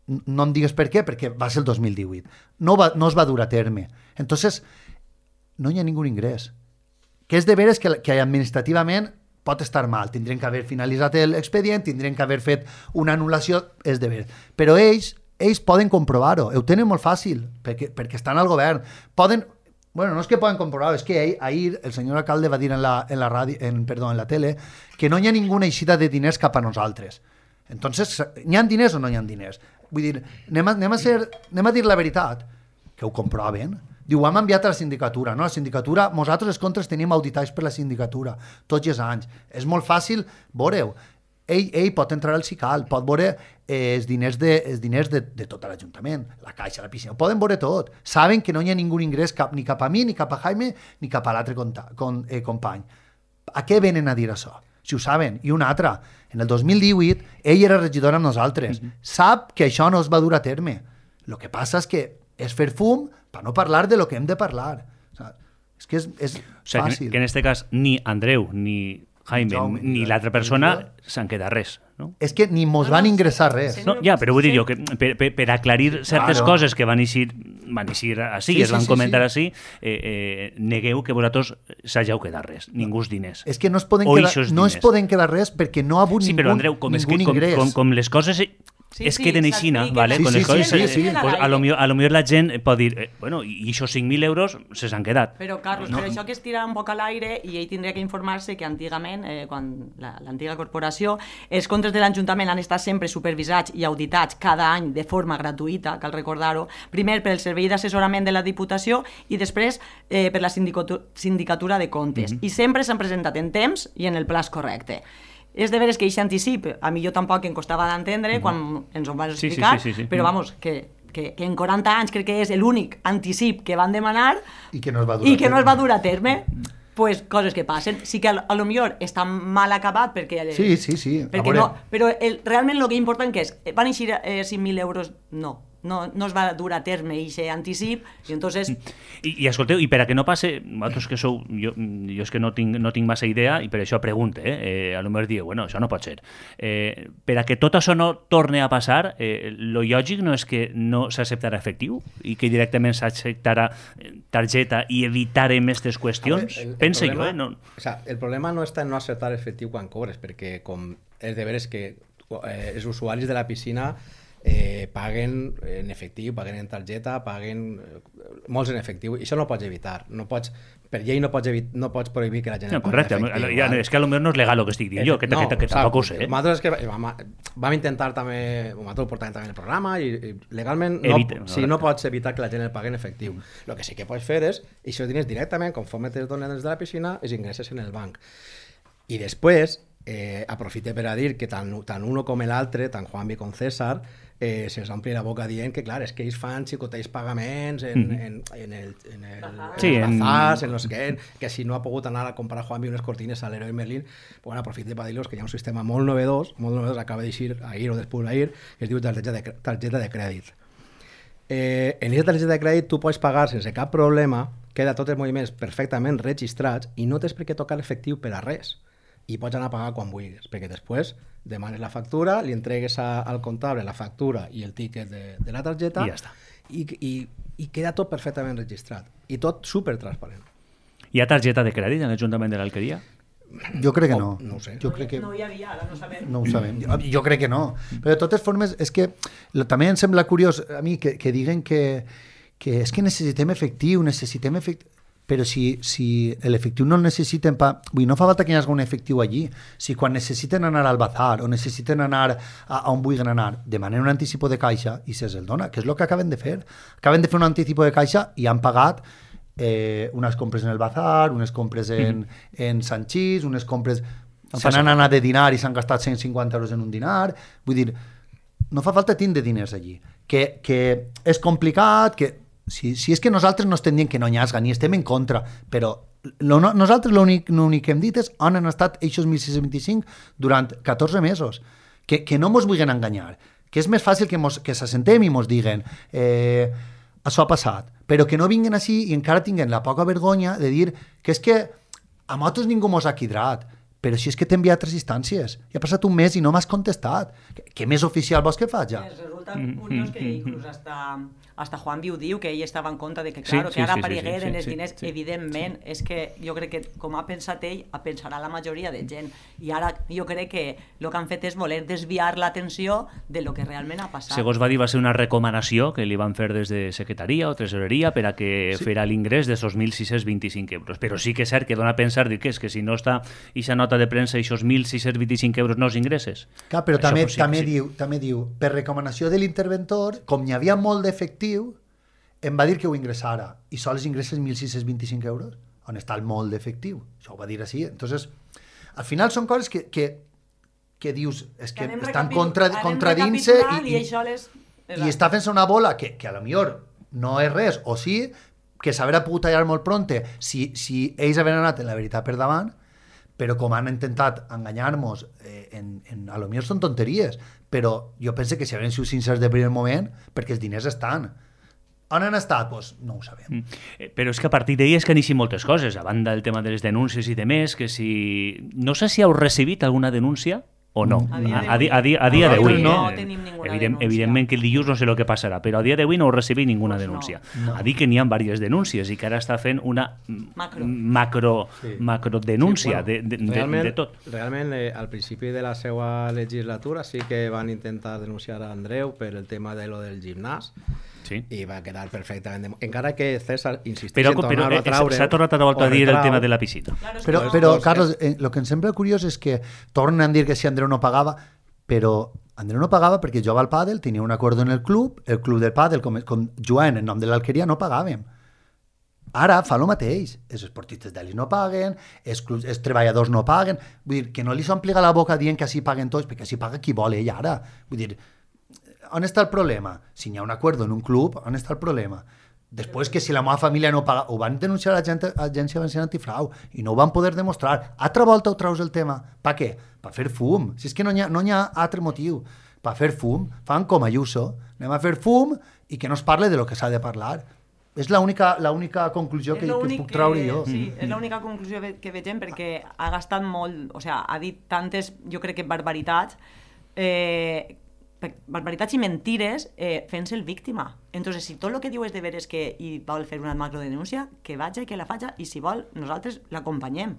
no em digues per què, perquè va ser el dos mil divuit. No, va, no es va dur a terme. Entonces, no hi ha ningú ingrés. Que és de veres que, que administrativament pot estar mal. Tindrem que haver finalitzat l'expedient, tindrem que haver fet una anul·lació, és de veres. Però ells, ells poden comprovar-ho, ho tenen molt fàcil, perquè, perquè estan al govern. Poden, bueno, no és que poden comprovar-ho, és que ahir, ahir el senyor alcalde va dir en la, en la, ràdio, en, perdó, en la tele que no hi ha ninguna eixida de diners cap a nosaltres. Entonces, hi ha diners o no hi ha diners? Vull dir, anem a, anem a, ser, anem a dir la veritat, que ho comproven. Diu, ho hem enviat a la sindicatura. No, la sindicatura, nosaltres els comptes tenim auditats per la sindicatura, tots els anys. És molt fàcil, veureu. Ell, ell pot entrar al SICAL, pot veure eh, els diners, de, els diners de, de tot l'Ajuntament, la caixa, la piscina, ho poden veure tot. Saben que no hi ha ningú ingrés cap, ni cap a mi, ni cap a Jaime, ni cap a l'altre con, eh, company. A què venen a dir això? Si ho saben. I una altra, en el dos mil divuit, ell era regidor amb nosaltres. Mm-hmm. Sap que això no es va dur a terme. El que passa és que és fer fum per no parlar de lo que hem de parlar. O sea, és que és, és o sea, fàcil. Que, que en este cas ni Andreu ni Jaime Jaume, ni l'altra persona s'han quedat res. No? És que ni mos van ingressar res. No, ja, però vull dir jo que per, per, per aclarir certes claro. coses que van eixir, van eixir així, sí, es van sí, comentar sí, sí. així, eh, eh, negueu que vosaltres s'hageu quedat res, ningú diners. És que no es poden, quedar, no es poden quedar res perquè no ha hagut sí, ningú, però, Andreu, com ningú és que, ingrés. Com, com, com les coses... Sí, es queden sí, així, ¿vale? Sí, Con sí, les coses, sí, sí, sí. Pues a, lo millor, a lo millor la gent pot dir, eh, bueno, i aquests cinc mil euros se s'han quedat. Però, Carlos, no. però això que es tira un poc a l'aire i ell tindria que informar-se que antigament, eh, quan l'antiga la, corporació, els comptes de l'Ajuntament han estat sempre supervisats i auditats cada any de forma gratuïta, cal recordar-ho, primer per el Servei d'Assessorament de la Diputació i després eh, per la Sindicatura de Comptes. Mm-hmm. I sempre s'han presentat en temps i en el plaç correcte. És de veres que aquest anticip, a mi jo tampoc em costava d'entendre mm-hmm. quan ens ho vas explicar, sí, sí, sí, sí. però vamos, que, que, que en quaranta anys crec que és l'únic anticip que van demanar i que no es va dur, i que no es va dur a terme. Pues coses que passen. Sí que a, a lo millor està mal acabat perquè... Sí, sí, sí. Perquè no, però el, realment el que important que és, van eixir eh, cinc mil euros? No. No, no es va dur a terme aquest anticip i entonces... I, i escolteu, i per a que no passe, vosaltres que sou, jo, jo és que no tinc, no tinc massa idea i per això pregunte, eh? eh a lo millor diu, bueno, això no pot ser. Eh, per a que tot això no torni a passar, eh, lo lògic no és que no s'acceptarà efectiu i que directament s'acceptarà targeta i evitarem aquestes qüestions? Veure, el, el Pense problema, jo, eh? No... O sea, el problema no està en no acceptar efectiu quan cobres, perquè com és de veres que eh, els usuaris de la piscina Eh, paguen en efectiu, paguen en targeta, paguen eh, molts en efectiu, i això no ho pots evitar, no pots, per llei no pots, evit, no pots prohibir que la gent no, pagui en efectiu. Correcte, ja, és que potser no és legal el que estic dient jo, que, no, que, que, que tampoc ho sé. Eh? Nosaltres és que vam, vam intentar també, nosaltres ho portàvem també en el programa i, i legalment no, Evite, no, sí, no pots evitar que la gent el pagui en efectiu. El que sí que pots fer és, i això diners directament, conforme te'ls donen des de la piscina, els ingresses en el banc. I després, eh, aprofite per a dir que tant, tant uno com l'altre, tant Juanvi com César, eh, se'ls ompli la boca dient que, clar, és que ells fan xicotells pagaments en, mm. en, en el, en el, sí, en bazars, en, en los que, que si no ha pogut anar a comprar Juanvi unes cortines a l'Heroi Merlin, bueno, aprofite per dir-los que hi ha un sistema molt novedós, molt novedós, acaba d'eixir ahir o després d'ahir, que es diu targeta de, targeta de crèdit. Eh, en aquesta targeta de crèdit tu pots pagar sense cap problema, queda tots els moviments perfectament registrats i no tens per què tocar l'efectiu per a res. I pots anar a pagar quan vulguis, perquè després demanes la factura, li entregues a, al comptable la factura i el tiquet de, de la targeta i ja està. I, i, i queda tot perfectament registrat. I tot supertransparent. Hi ha targeta de crèdit en l'Ajuntament de l'Alqueria? Jo crec que no. Oh, no ho sé. Jo crec que... No hi havia, ara no sabem. No ho sabem. Jo, jo crec que no. Però de totes formes, és que lo, també em sembla curiós a mi que, que diguen que, que és que necessitem efectiu, necessitem efectiu... Però si, si l'efectiu no el necessiten pa... Vull dir, no fa falta que hi hagi un efectiu allí. Si quan necessiten anar al bazar o necessiten anar a, a on vulguin anar, demanen un anticipo de caixa i se'ls el dona, que és el que acaben de fer. Acaben de fer un anticipo de caixa i han pagat eh, unes compres en el bazar, unes compres en, mm. en Sanchís, unes compres... No se n'han anat de dinar i s'han gastat cent cinquanta euros en un dinar. Vull dir, no fa falta tindre diners allí. Que, que és complicat, que... Si, si és que nosaltres no estem dient que no nyasga, ni estem en contra, però lo, no, nosaltres l'únic que hem dit és on han estat aquests mil sis-cents vint-i-cinc durant catorze mesos. Que, que no mos vulguin enganyar, que és més fàcil que, mos, que s'assentem i mos diguen eh, això ha passat, però que no vinguin així i encara tinguen la poca vergonya de dir que és que a nosaltres ningú mos ha quidrat, però si és que t'he enviat tres instàncies, i ha passat un mes i no m'has contestat. Què més oficial vols que faig ja? Resulta curiós que inclús hasta... Hasta Juan Viu diu que ell estava en compte de que, claro, sí, sí, que ara sí, aparegueren sí, sí, els sí, diners, sí, evidentment, sí. És que jo crec que com ha pensat ell, pensarà la majoria de gent. I ara jo crec que el que han fet és voler desviar l'atenció de lo que realment ha passat. Segons va dir, va ser una recomanació que li van fer des de secretaria o tresoreria per a que sí. Fera l'ingrés de esos mil sis-cents vint-i-cinc euros. Però sí que és cert que dona a pensar que és que si no està ixa nota de premsa, esos mil sis-cents vint-i-cinc euros no els ingresses. Clar, però també, sí, també, sí. diu, també diu, per recomanació de l'interventor, com n'hi havia molt d'efectiu, em va dir que ho ingressara i sols ingresses mil sis-cents vint-i-cinc euros on està el molt d'efectiu, això ho va dir així. Entonces, al final són coses que, que, que dius és que estan contra, contradint-se i, i, les... i està fent-se una bola que, que a lo millor no és res, o sí que s'haurà pogut tallar molt pronte si, si ells havien anat en la veritat per davant, però com han intentat enganyar-nos eh, en, en, a lo millor són tonteries, però jo penso que si havien sigut sincers de primer moment, perquè els diners estan. On han estat? Pues no ho sabem. Mm. Però és que a partir d'ahir és que han eixit moltes coses, a banda del tema de les denúncies i de més, que si... No sé si heu recibit alguna denúncia o no. A dia, a, a, a, a dia d'avui no, no. no tenim ninguna Evident, denúncia. Evidentment que el dilluns no sé el que passarà, però a dia d'avui no heu recibit ninguna pues denúncia. No. No. A dir que n'hi ha diverses denúncies i que ara està fent una macro, macro, sí. macro denúncia sí, bueno, de, de, realment, de, de tot. Realment, eh, al principi de la seva legislatura sí que van intentar denunciar a Andreu per el tema de lo del gimnàs, sí. I va quedar perfectament... Encara que César insistís però, en tornar-ho a traure... S'ha tornat a volta a dir el tema de la piscina. Claro, però, que però doncs, Carlos, eh, el que em sembla curiós és que tornen a dir que si Andreu no pagava, però Andreu no pagava perquè jugava al pàdel, tenia un acord en el club, el club del pàdel, com, com jugant en nom de l'Alqueria, no pagàvem. Ara fa el mateix. Els esportistes d'elit no paguen, els, clubs, els treballadors no paguen. Vull dir, que no li s'ompliga la boca dient que així paguen tots, perquè així paga qui vol ell ara. Vull dir, on està el problema? Si hi ha un acord en un club, on està el problema? Després que si la meva família no paga, ho van denunciar a l'Agència Valenciana Antifrau i no ho van poder demostrar. Altra volta ho traus el tema. Per què? Per fer fum. Si és que no hi ha, no hi ha altre motiu. Per fer fum. Fan com Ayuso. Anem a fer fum i que no es parle de lo que s'ha de parlar. És l'única l'única conclusió que, que puc traure jo. Sí, és l'única conclusió que vegem perquè ha gastat molt, o sigui, ha dit tantes, jo crec que barbaritats, eh, barbaritats i mentires eh, fent-se el víctima. Entonces, si tot el que diu és de veres que hi vol fer una macrodenúncia, que vaja i que la faja, i si vol, nosaltres l'acompanyem.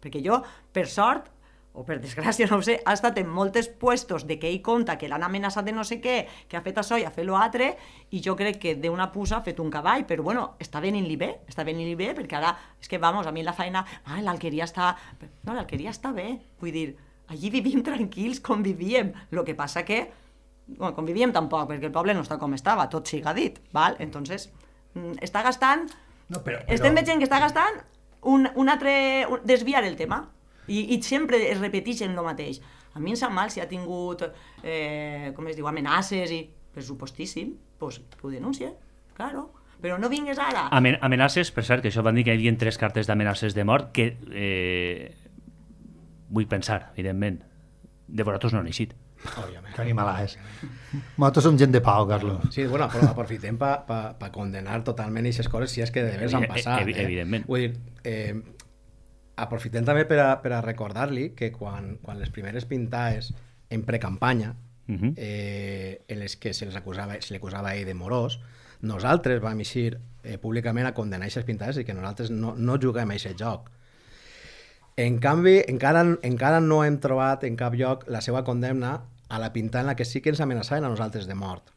Perquè jo, per sort, o per desgràcia, no ho sé, ha estat en molts puestos de que ell conta que l'han amenaçat de no sé què, que ha fet això i ha fet l'altre, i jo crec que d'una puça ha fet un cavall, però bueno, està venint-li bé, està venint-li bé, perquè ara, és que, vamos, a mi la feina, ah, l'Alqueria està... No, l'Alqueria està bé, vull dir, allí vivim tranquils, convivíem, el que passa que, bueno, convivíem tampoc, perquè el poble no està com estava, tot siga dit, val? Entonces, està gastant... No, però, però... Estem veient que està gastant un, un altre... Un, desviar el tema. I, i sempre es repeteixen el mateix. A mi em sap mal si ha tingut, eh, com es diu, amenaces i pressupostíssim, doncs ho denuncia, claro. Però no vingues ara. Amen amenaces, per cert, que això van dir que hi havia tres cartes d'amenaces de mort que, eh, vull pensar, evidentment, de vosaltres no han eixit. Òbviament. Que animalà és. Nosaltres som gent de pau, Carlos. Sí, bueno, però aprofitem per pa, pa condenar totalment aquestes coses si és que de veres han passat. Evi- evidentment. Eh? Vull dir, eh, aprofitem també per a, per a recordar-li que quan, quan les primeres pintades en precampanya, Mhm. eh, en les que se les acusava, se li acusava a ell de morós, nosaltres vam eixir eh, públicament a condenar aquestes pintades i que nosaltres no, no juguem a aquest joc. En canvi, encara, encara no hem trobat en cap lloc la seva condemna a la pintada en la que sí que ens amenaçaven a nosaltres de mort.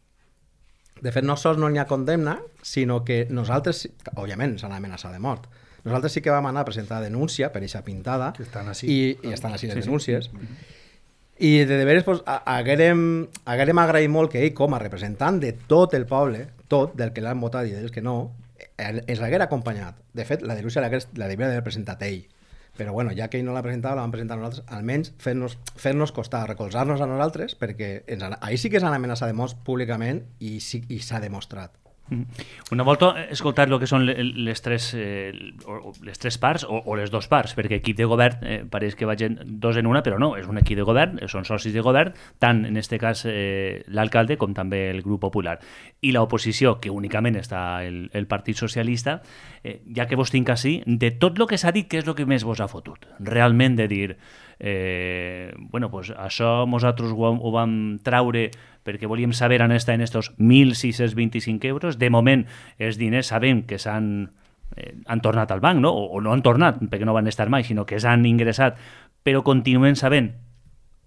De fet, no sols no n'hi ha condemna, sinó que nosaltres, òbviament, s'han amenaçat de mort. Nosaltres sí que vam anar a presentar denúncia per aquesta pintada Que estan ací. i, i estan així les denúncies. I de, de veres pues, a- haguérem, haguérem agraït molt que ell, com a representant de tot el poble, tot, del que l'han votat i dels que no, eh, ens l'haguera acompanyat. De fet, la denúncia l'hagués- la devia haver presentat ell. Però bueno, ja que ell no l'ha presentat, la vam presentar nosaltres, almenys fer-nos fer-nos costar, recolzar-nos a nosaltres, perquè ens, han- ahir sí que s'han amenaçat de morts públicament i sí, i s'ha demostrat. Una volta he escoltat el que són le- les tres, eh, o- o les tres parts o, o les dues parts, perquè equip de govern eh, pareix que vagin dos en una, però no, és un equip de govern, eh, són socis de govern, tant en este cas eh, l'alcalde com també el grup popular. I l'oposició, que únicament està el, el Partit Socialista, eh, ja que vos tinc així, de tot el que s'ha dit, què és el que més vos ha fotut? Realment de dir, eh, bueno, pues això nosaltres ho, ho vam traure perquè volíem saber on estan estos mil sis-cents vint-i-cinc euros. De moment, els diners sabem que s'han eh, han tornat al banc, no? O, o no han tornat, perquè no van estar mai, sinó que s'han ingressat, però continuem sabent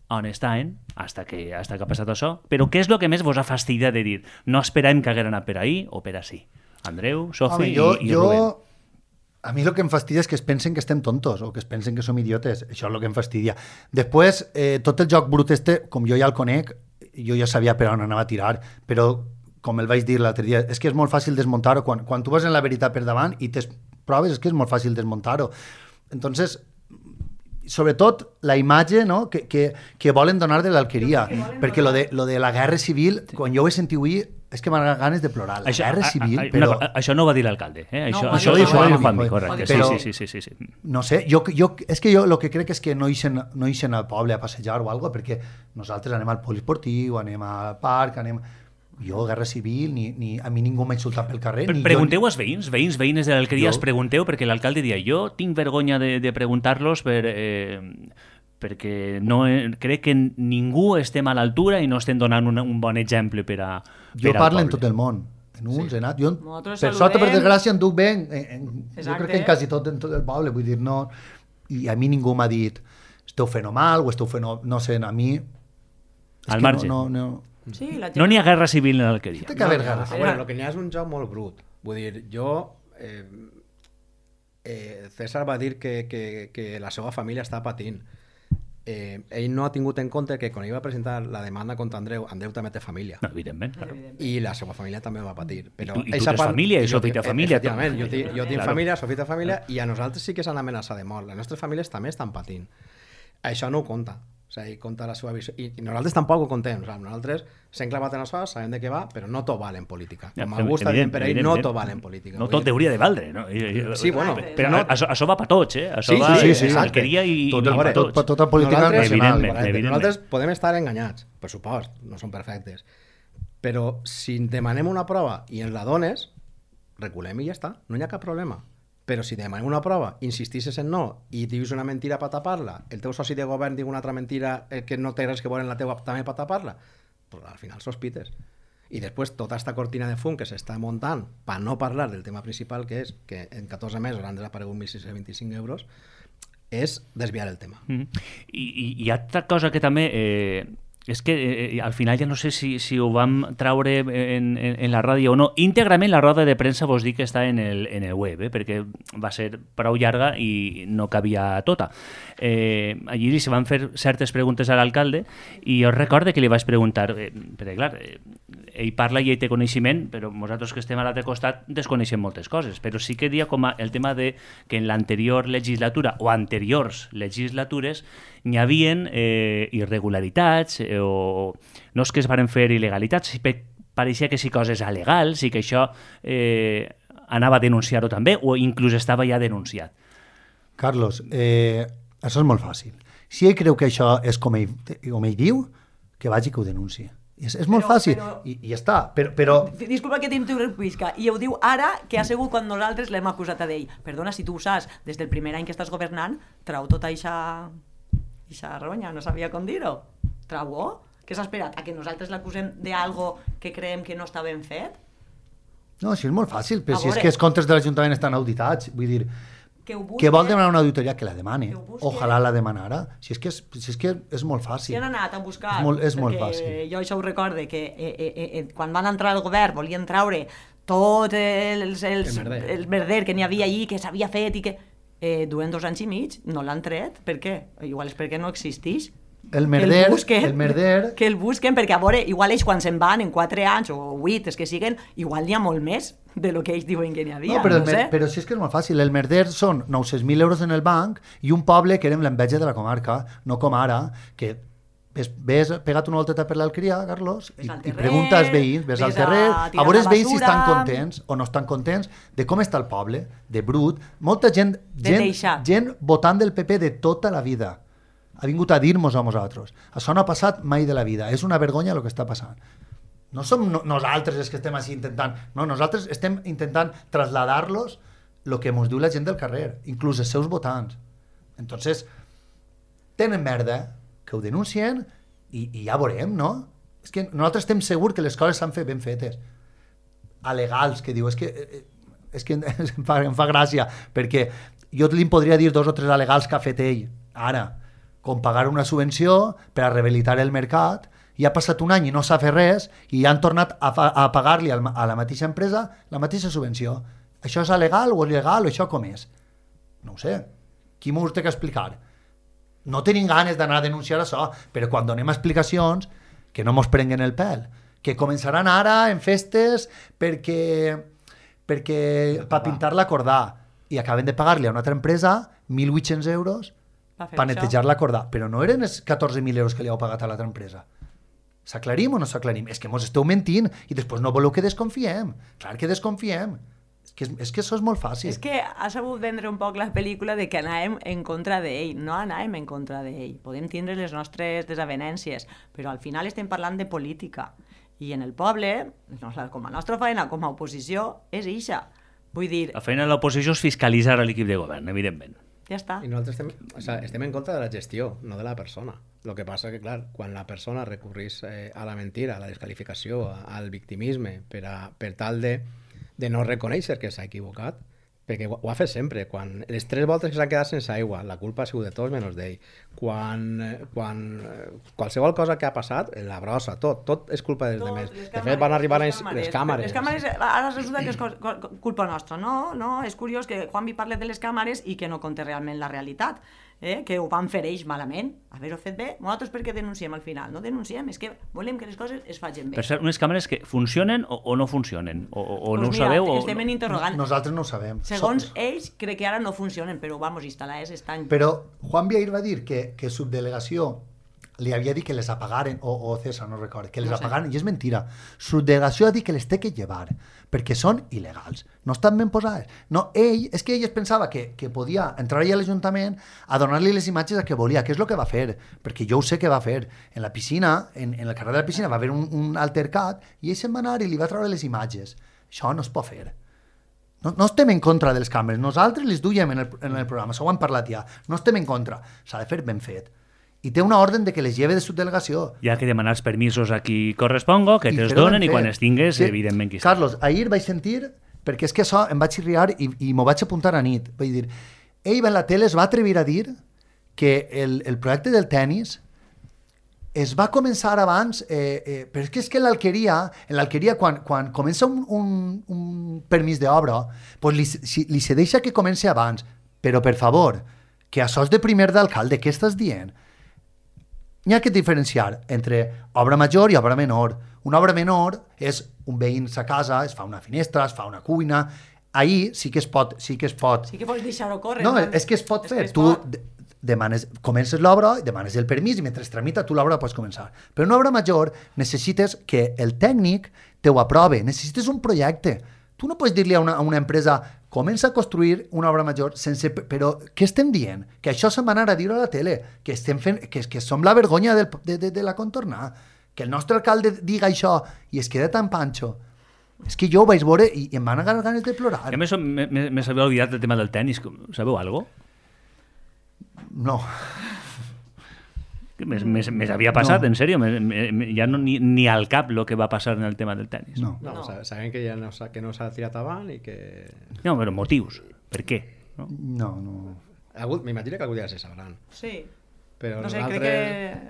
on estan, hasta que, hasta que ha passat això. Però què és el que més vos ha fastidiat de dir no esperàvem que haguera anat per ahí o per ací? Andreu, Sofi Home, jo, i, i jo, Rubén. a mi el que em fastidia és que es pensen que estem tontos o que es pensen que som idiotes. Això és el que em fastidia. Després, eh, tot el joc brut este, com jo ja el conec, jo ja sabia per on anava a tirar, però com el vaig dir l'altre dia, és que és molt fàcil desmuntar-ho. Quan, quan tu vas en la veritat per davant i tes proves, és que és molt fàcil desmuntar-ho. Entonces, sobretot la imatge, no?, que, que, que volen donar de l'alqueria, perquè lo de, lo de la guerra civil, quan jo ho he sentit avui, és que m'han ganes de plorar. La guerra civil, a, a, però... Una, això no ho va dir l'alcalde, eh? Això, No, això, ho diu això ho diu Juanmi, Juanmi, joder. correcte. Però- Sí, sí, sí, sí, sí. No sé, jo, jo, és que jo el que crec és que no ixen, no ixen al poble a passejar o alguna cosa, perquè nosaltres anem al poliesportiu, anem al parc, anem... Jo, guerra civil, ni, ni, a mi ningú m'ha insultat pel carrer. Pre Ni pregunteu jo, als veïns, veïns, veïnes de l'alqueria, Jo- els pregunteu, perquè l'alcalde dia jo tinc vergonya de, de preguntar-los per, eh, perquè no, eh, crec que ningú estem a l'altura i no estem donant un, un bon exemple per a jo per al parlo en poble. tot el món. En uns, sí. en altres. Jo, Nosaltres per sort o per saludem. desgràcia, em duc bé. En, en, jo Exacte. crec que en quasi tot, en tot el poble. Vull dir, no... I a mi ningú m'ha dit esteu fent mal o esteu fent... No sé, a mi... és Al que marge. No, no, no. Sí, la gent... No n'hi ha guerra civil en l'alqueria. Té que haver ganes. Ah, bueno, el que n'hi ha és un joc molt brut. Vull dir, jo... Eh, eh, César va dir que, que, que la seva família està patint. Eh, ell no ha tingut en compte que quan ell va presentar la demanda contra Andreu, Andreu també té família. No, evidentment. I la seva família també va patir. Però I tu- i tu eixa tens família, i jo Sofi té tinc- família, tu. Efectivament, jo, tinc- jo tinc Claro. família, Sofi té família, i a nosaltres sí que s'han amenaçat de mort. Les nostres famílies també estan patint. Això no ho compta. O sigui, compta la seva visió. I, i nosaltres tampoc ho contem. O sigui, nosaltres s'hem clavat en això, sabem de què va, però no tot val en política. Com Ja, algú està dient evident, per ell, no evidentment. tot val en política. No Vull tot dir, hauria de valdre, no? I- i- Sí, bueno, però no- això, això va per tots, eh? Això Sí, va sí, sí, a exacte. l'alqueria i, Tot i el- per tot- tots. tota política Nosaltres- nacional. Evidentment, correcte. evidentment. Nosaltres podem estar enganyats, per supost, no som perfectes. Però si demanem una prova i ens la dones, reculem i ja està, no hi ha cap problema. Però si demanem una prova, insistisses en no i dius una mentira per tapar-la, el teu soci de govern diu una altra mentira eh, que no té res que veure en la teua també per tapar-la, pues al final sospites. I després tota aquesta cortina de fum que s'està muntant per no parlar del tema principal, que és que en catorze mesos han desaparegut mil sis-cents vint-i-cinc euros, és desviar el tema. Mm. I, i hi ha altra cosa que també... Eh, és que eh, al final ja no sé si, si ho vam traure en, en, en la ràdio o no. Íntegrament la roda de premsa vos dic que està en el, en el web, eh, perquè va ser prou llarga i no cabia tota. Eh, allí se van fer certes preguntes a l'alcalde i jo recorde que li vaig preguntar, eh, perquè clar, eh, ell parla i ell té coneixement, però nosaltres que estem a l'altre costat desconeixem moltes coses, però sí que dia com a el tema de que en l'anterior legislatura o anteriors legislatures n'hi havien eh, irregularitats eh, o no és que es varen fer il·legalitats, si pe- pareixia que sí coses alegals i que això eh, anava a denunciar-ho també o inclús estava ja denunciat. Carlos, eh, això és molt fàcil. Si ell creu que això és com ell, com ell diu, que vagi que ho denunciï. És, és molt Però- fàcil, però- I, i ja està. Però, però Disculpa que t'interrompisca. I ho diu ara que ha sigut quan nosaltres l'hem acusat a d'ell. Perdona, si tu ho saps, des del primer any que estàs governant, trau tota eixa... eixa ronya, no sabia com dir-ho. Trau-ho? Què s'ha esperat? A que nosaltres l'acusem d'algo que creiem que no està ben fet? no, això és molt fàcil, però A si és veure. que els comptes de l'Ajuntament estan auditats, vull dir, Que ho busquen... que vol demanar una auditoria, que la demane. Que ho busquen. Ojalà la demanara. Si és que és, si és, que és molt Si fàcil. han anat a buscar, És molt- és molt perquè fàcil. jo això ho recorde, que eh, eh, eh, quan van entrar al govern volien traure tot els, els, El merder. el merder que n'hi havia allí, que s'havia fet i que... Eh, duen dos anys i mig, no l'han tret. Per què? Igual és perquè no existeix. El Que merder, busquen, el merder, que el busquen, perquè a veure, igual ells quan se'n van en quatre anys o vuit, els que siguen, igual n'hi ha molt més de lo que ells diuen que n'hi havia, no, però, no el mer, sé. però si és que és molt fàcil. El merder són nou-cents mil euros en el banc i un poble que érem l'enveja de la comarca, no com ara, que ves, ves pegat una volteta per l'Alqueria, Carlos, i, Ves al i terrer, pregunta als veïns, ves, ves al a terrer, a, tirar veure la els veïns si basura. estan contents o no estan contents de com està el poble, de brut. Molta gent, De gent, deixar. gent votant del P P de tota la vida. Ha vingut a dir-nos a nosaltres. Això no ha passat mai de la vida. És una vergonya el que està passant. No som no, nosaltres els que estem així intentant... No, nosaltres estem intentant traslladar-los el que ens diu la gent del carrer, inclús els seus votants. Entonces, tenen merda, que ho denuncien i, i ja veurem, no? És que nosaltres estem segurs que les coses s'han fet ben fetes. Alegals, que diu, és que, eh, és que em fa, em fa gràcia, perquè jo li podria dir dos o tres alegals que ha fet ell, ara, com pagar una subvenció per a rehabilitar el mercat, i ha passat un any i no s'ha fet res, i han tornat a, fa, a pagar-li al, a la mateixa empresa la mateixa subvenció. Això és legal o il·legal o això com és? No ho sé. Qui m'ho té que explicar? No tenim ganes d'anar a denunciar això, però quan donem explicacions, que no mos prenguen el pèl, que començaran ara en festes perquè, perquè per pintar l'acordà i acaben de pagar-li a una altra empresa mil vuit-cents euros Va fer per això. netejar l'acordà, però no eren els catorze mil euros que li heu pagat a l'altra empresa. S'aclarim o no s'aclarim? És que mos esteu mentint i després no voleu que desconfiem. Clar que desconfiem. És que, és que això és molt fàcil. És que ha sabut vendre un poc la pel·lícula de que anàvem en contra d'ell. No anàvem en contra d'ell. Podem tindre les nostres desavenències, però al final estem parlant de política. I en el poble, com a nostra feina, com a oposició, és ixa. Vull dir, La feina de l'oposició és fiscalitzar l'equip de govern, evidentment. ja està. I nosaltres estem, o sea, estem en contra de la gestió, no de la persona. El que passa que, clar, quan la persona recurrís eh, a la mentira, a la descalificació, a, al victimisme, per, a, per tal de, de no reconèixer que s'ha equivocat, perquè ho, ho ha fet sempre. Quan, les tres voltes que s'han quedat sense aigua, la culpa ha sigut de tots menys d'ell. Quan, eh, quan eh, qualsevol cosa que ha passat, la brossa, tot, tot és culpa dels Tot, demés. les De càmeres, fet, van arribar a les les, les càmeres. Les càmeres, ara resulta que és co- co- culpa nostra. No, no, és curiós que Juanvi parli de les càmeres i que no conté realment la realitat. Eh? Que ho van fer ells malament. Haver-ho fet bé. Nosaltres per què denunciem al final? No denunciem, és que volem que les coses es facin bé. Per cert, unes càmeres que funcionen o, o no funcionen? O, o, o no Pues ho mira, sabeu? O... estem en interrogant. Nosaltres no ho sabem. Segons So- ells, crec que ara no funcionen, però vamos, instal·lades estan... Però Juan Viair va dir que, que subdelegació li havia dit que les apagaren, o, o César, no recordo, que les No sé. apagaren, i és mentira. Subdelegació ha dit que les té que llevar, perquè són il·legals, no estan ben posades. No, ell, és que ell es pensava que, que podia entrar allà a l'Ajuntament a donar-li les imatges que volia, que és el que va fer, perquè jo ho sé que va fer. En la piscina, en, en el carrer de la piscina, va haver un, un altercat, i ell se'n va anar i li va treure les imatges. Això no es pot fer. No, no estem en contra de les càmeres, nosaltres les duiem en el, en el programa, això ho hem parlat ja, no estem en contra, s'ha de fer ben fet. I té una ordre de que les lleve de subdelegació. Hi ha que demanar els permisos a qui corresponga, que I te'ls fer-ho ben donen i fet. quan els tingues, Sí. evidentment que hi està. Carlos, ahir vaig sentir, perquè és que això em vaig xirriar i, i m'ho vaig apuntar a nit, vaig dir, ell en la tele es va atrevir a dir que el, el projecte del tennis es va començar abans, eh, eh, però és que és que en l'Alqueria, en l'Alqueria quan, quan comença un, un, un permís d'obra, pues li, si, li se deixa que comenci abans, però per favor, que això és de primer d'alcalde, què estàs dient? N'hi ha que diferenciar entre obra major i obra menor. Una obra menor és un veïn a casa, es fa una finestra, es fa una cuina. Ahir sí que es pot, sí que es pot. Sí que pots deixar-ho córrer. No, és que es pot És fer. que es Tu pot. de- demanes, comences l'obra, demanes el permís i mentre es tramita tu l'obra pots començar. Però una obra major necessites que el tècnic te ho aprove, necessites un projecte. Tu no pots dir-li a una, a una empresa comença a construir una obra major sense... Però què estem dient? Que això se'n va anar a dir a la tele, que estem fent, que, que som la vergonya del, de, de, de la contornar. que el nostre alcalde diga això i es queda tan panxo. És que jo ho vaig veure i, i em van agarrar ganes de plorar. A més, me s'havia oblidat del tema del tennis. Sabeu alguna cosa? No. Més havia passat, no. En sèrio? Me, me, ja no, ni, ni al cap el que va passar en el tema del tennis. No, no, no. Sabem que ja no s'ha que no s'ha tirat avant i que... No, però motius. Per què? No, no. no. M'imagino que algun dia se sabran. Sí. Però no sé, crec que...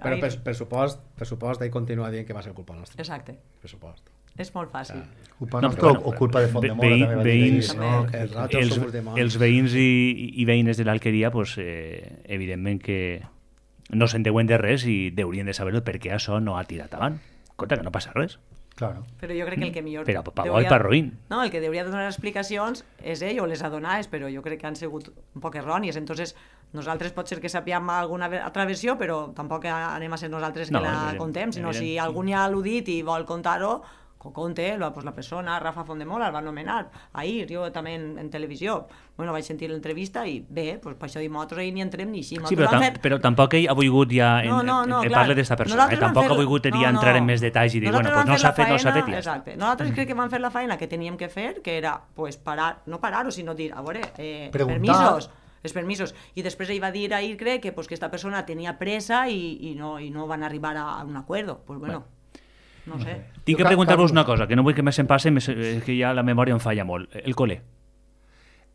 Però per, per supost, per supost ell continua dient que va ser culpa nostra. Exacte. Per supost. És molt fàcil. Ah. Culpa no, nostra bueno, o culpa de Fondemora. Veïns, no? els, els, els veïns i, i veïnes de l'Alqueria, pues, eh, evidentment que no se'n deuen de res i haurien de saber per què això no ha tirat avant. Compte que no passa res. Claro. Però jo crec que el que millor... Però pa bo i pa roïn. No, el que hauria de donar explicacions és ell o les ha donades, però jo crec que han sigut un poc errònies. Entonces, nosaltres pot ser que sapiem alguna altra versió, però tampoc anem a ser nosaltres que no, la evident, contem, sinó evident. Si algú ja l'ha dit i vol contar-ho, que ho conte, pues la persona, Rafa Fondemora, el va anomenar ahir, jo també en, en televisió. Bueno, vaig sentir l'entrevista i bé, pues per això dic, nosaltres ahir ni entrem ni així. Sí, però, tam fer... però tampoc ell ha volgut ja... En, no, no, no, en, clar. Parle d'esta persona, eh? Tampoc fer... ha volgut no, ja entrar no. en més detalls i dir, nosaltres bueno, pues no s'ha fet, no s'ha fet. Exacte. Nosaltres mm. crec que vam fer la feina que teníem que fer, que era, pues, parar, no parar-ho, sinó dir, a veure, eh, permisos, els permisos. I després ell va dir ahir, crec, que, pues, que esta persona tenia pressa i, i, no, i no van arribar a un acuerdo. Pues bueno, bueno. No sé. Tinc que preguntar-vos una cosa, que no vull que més em passi, que ja la memòria em falla molt. El col·le.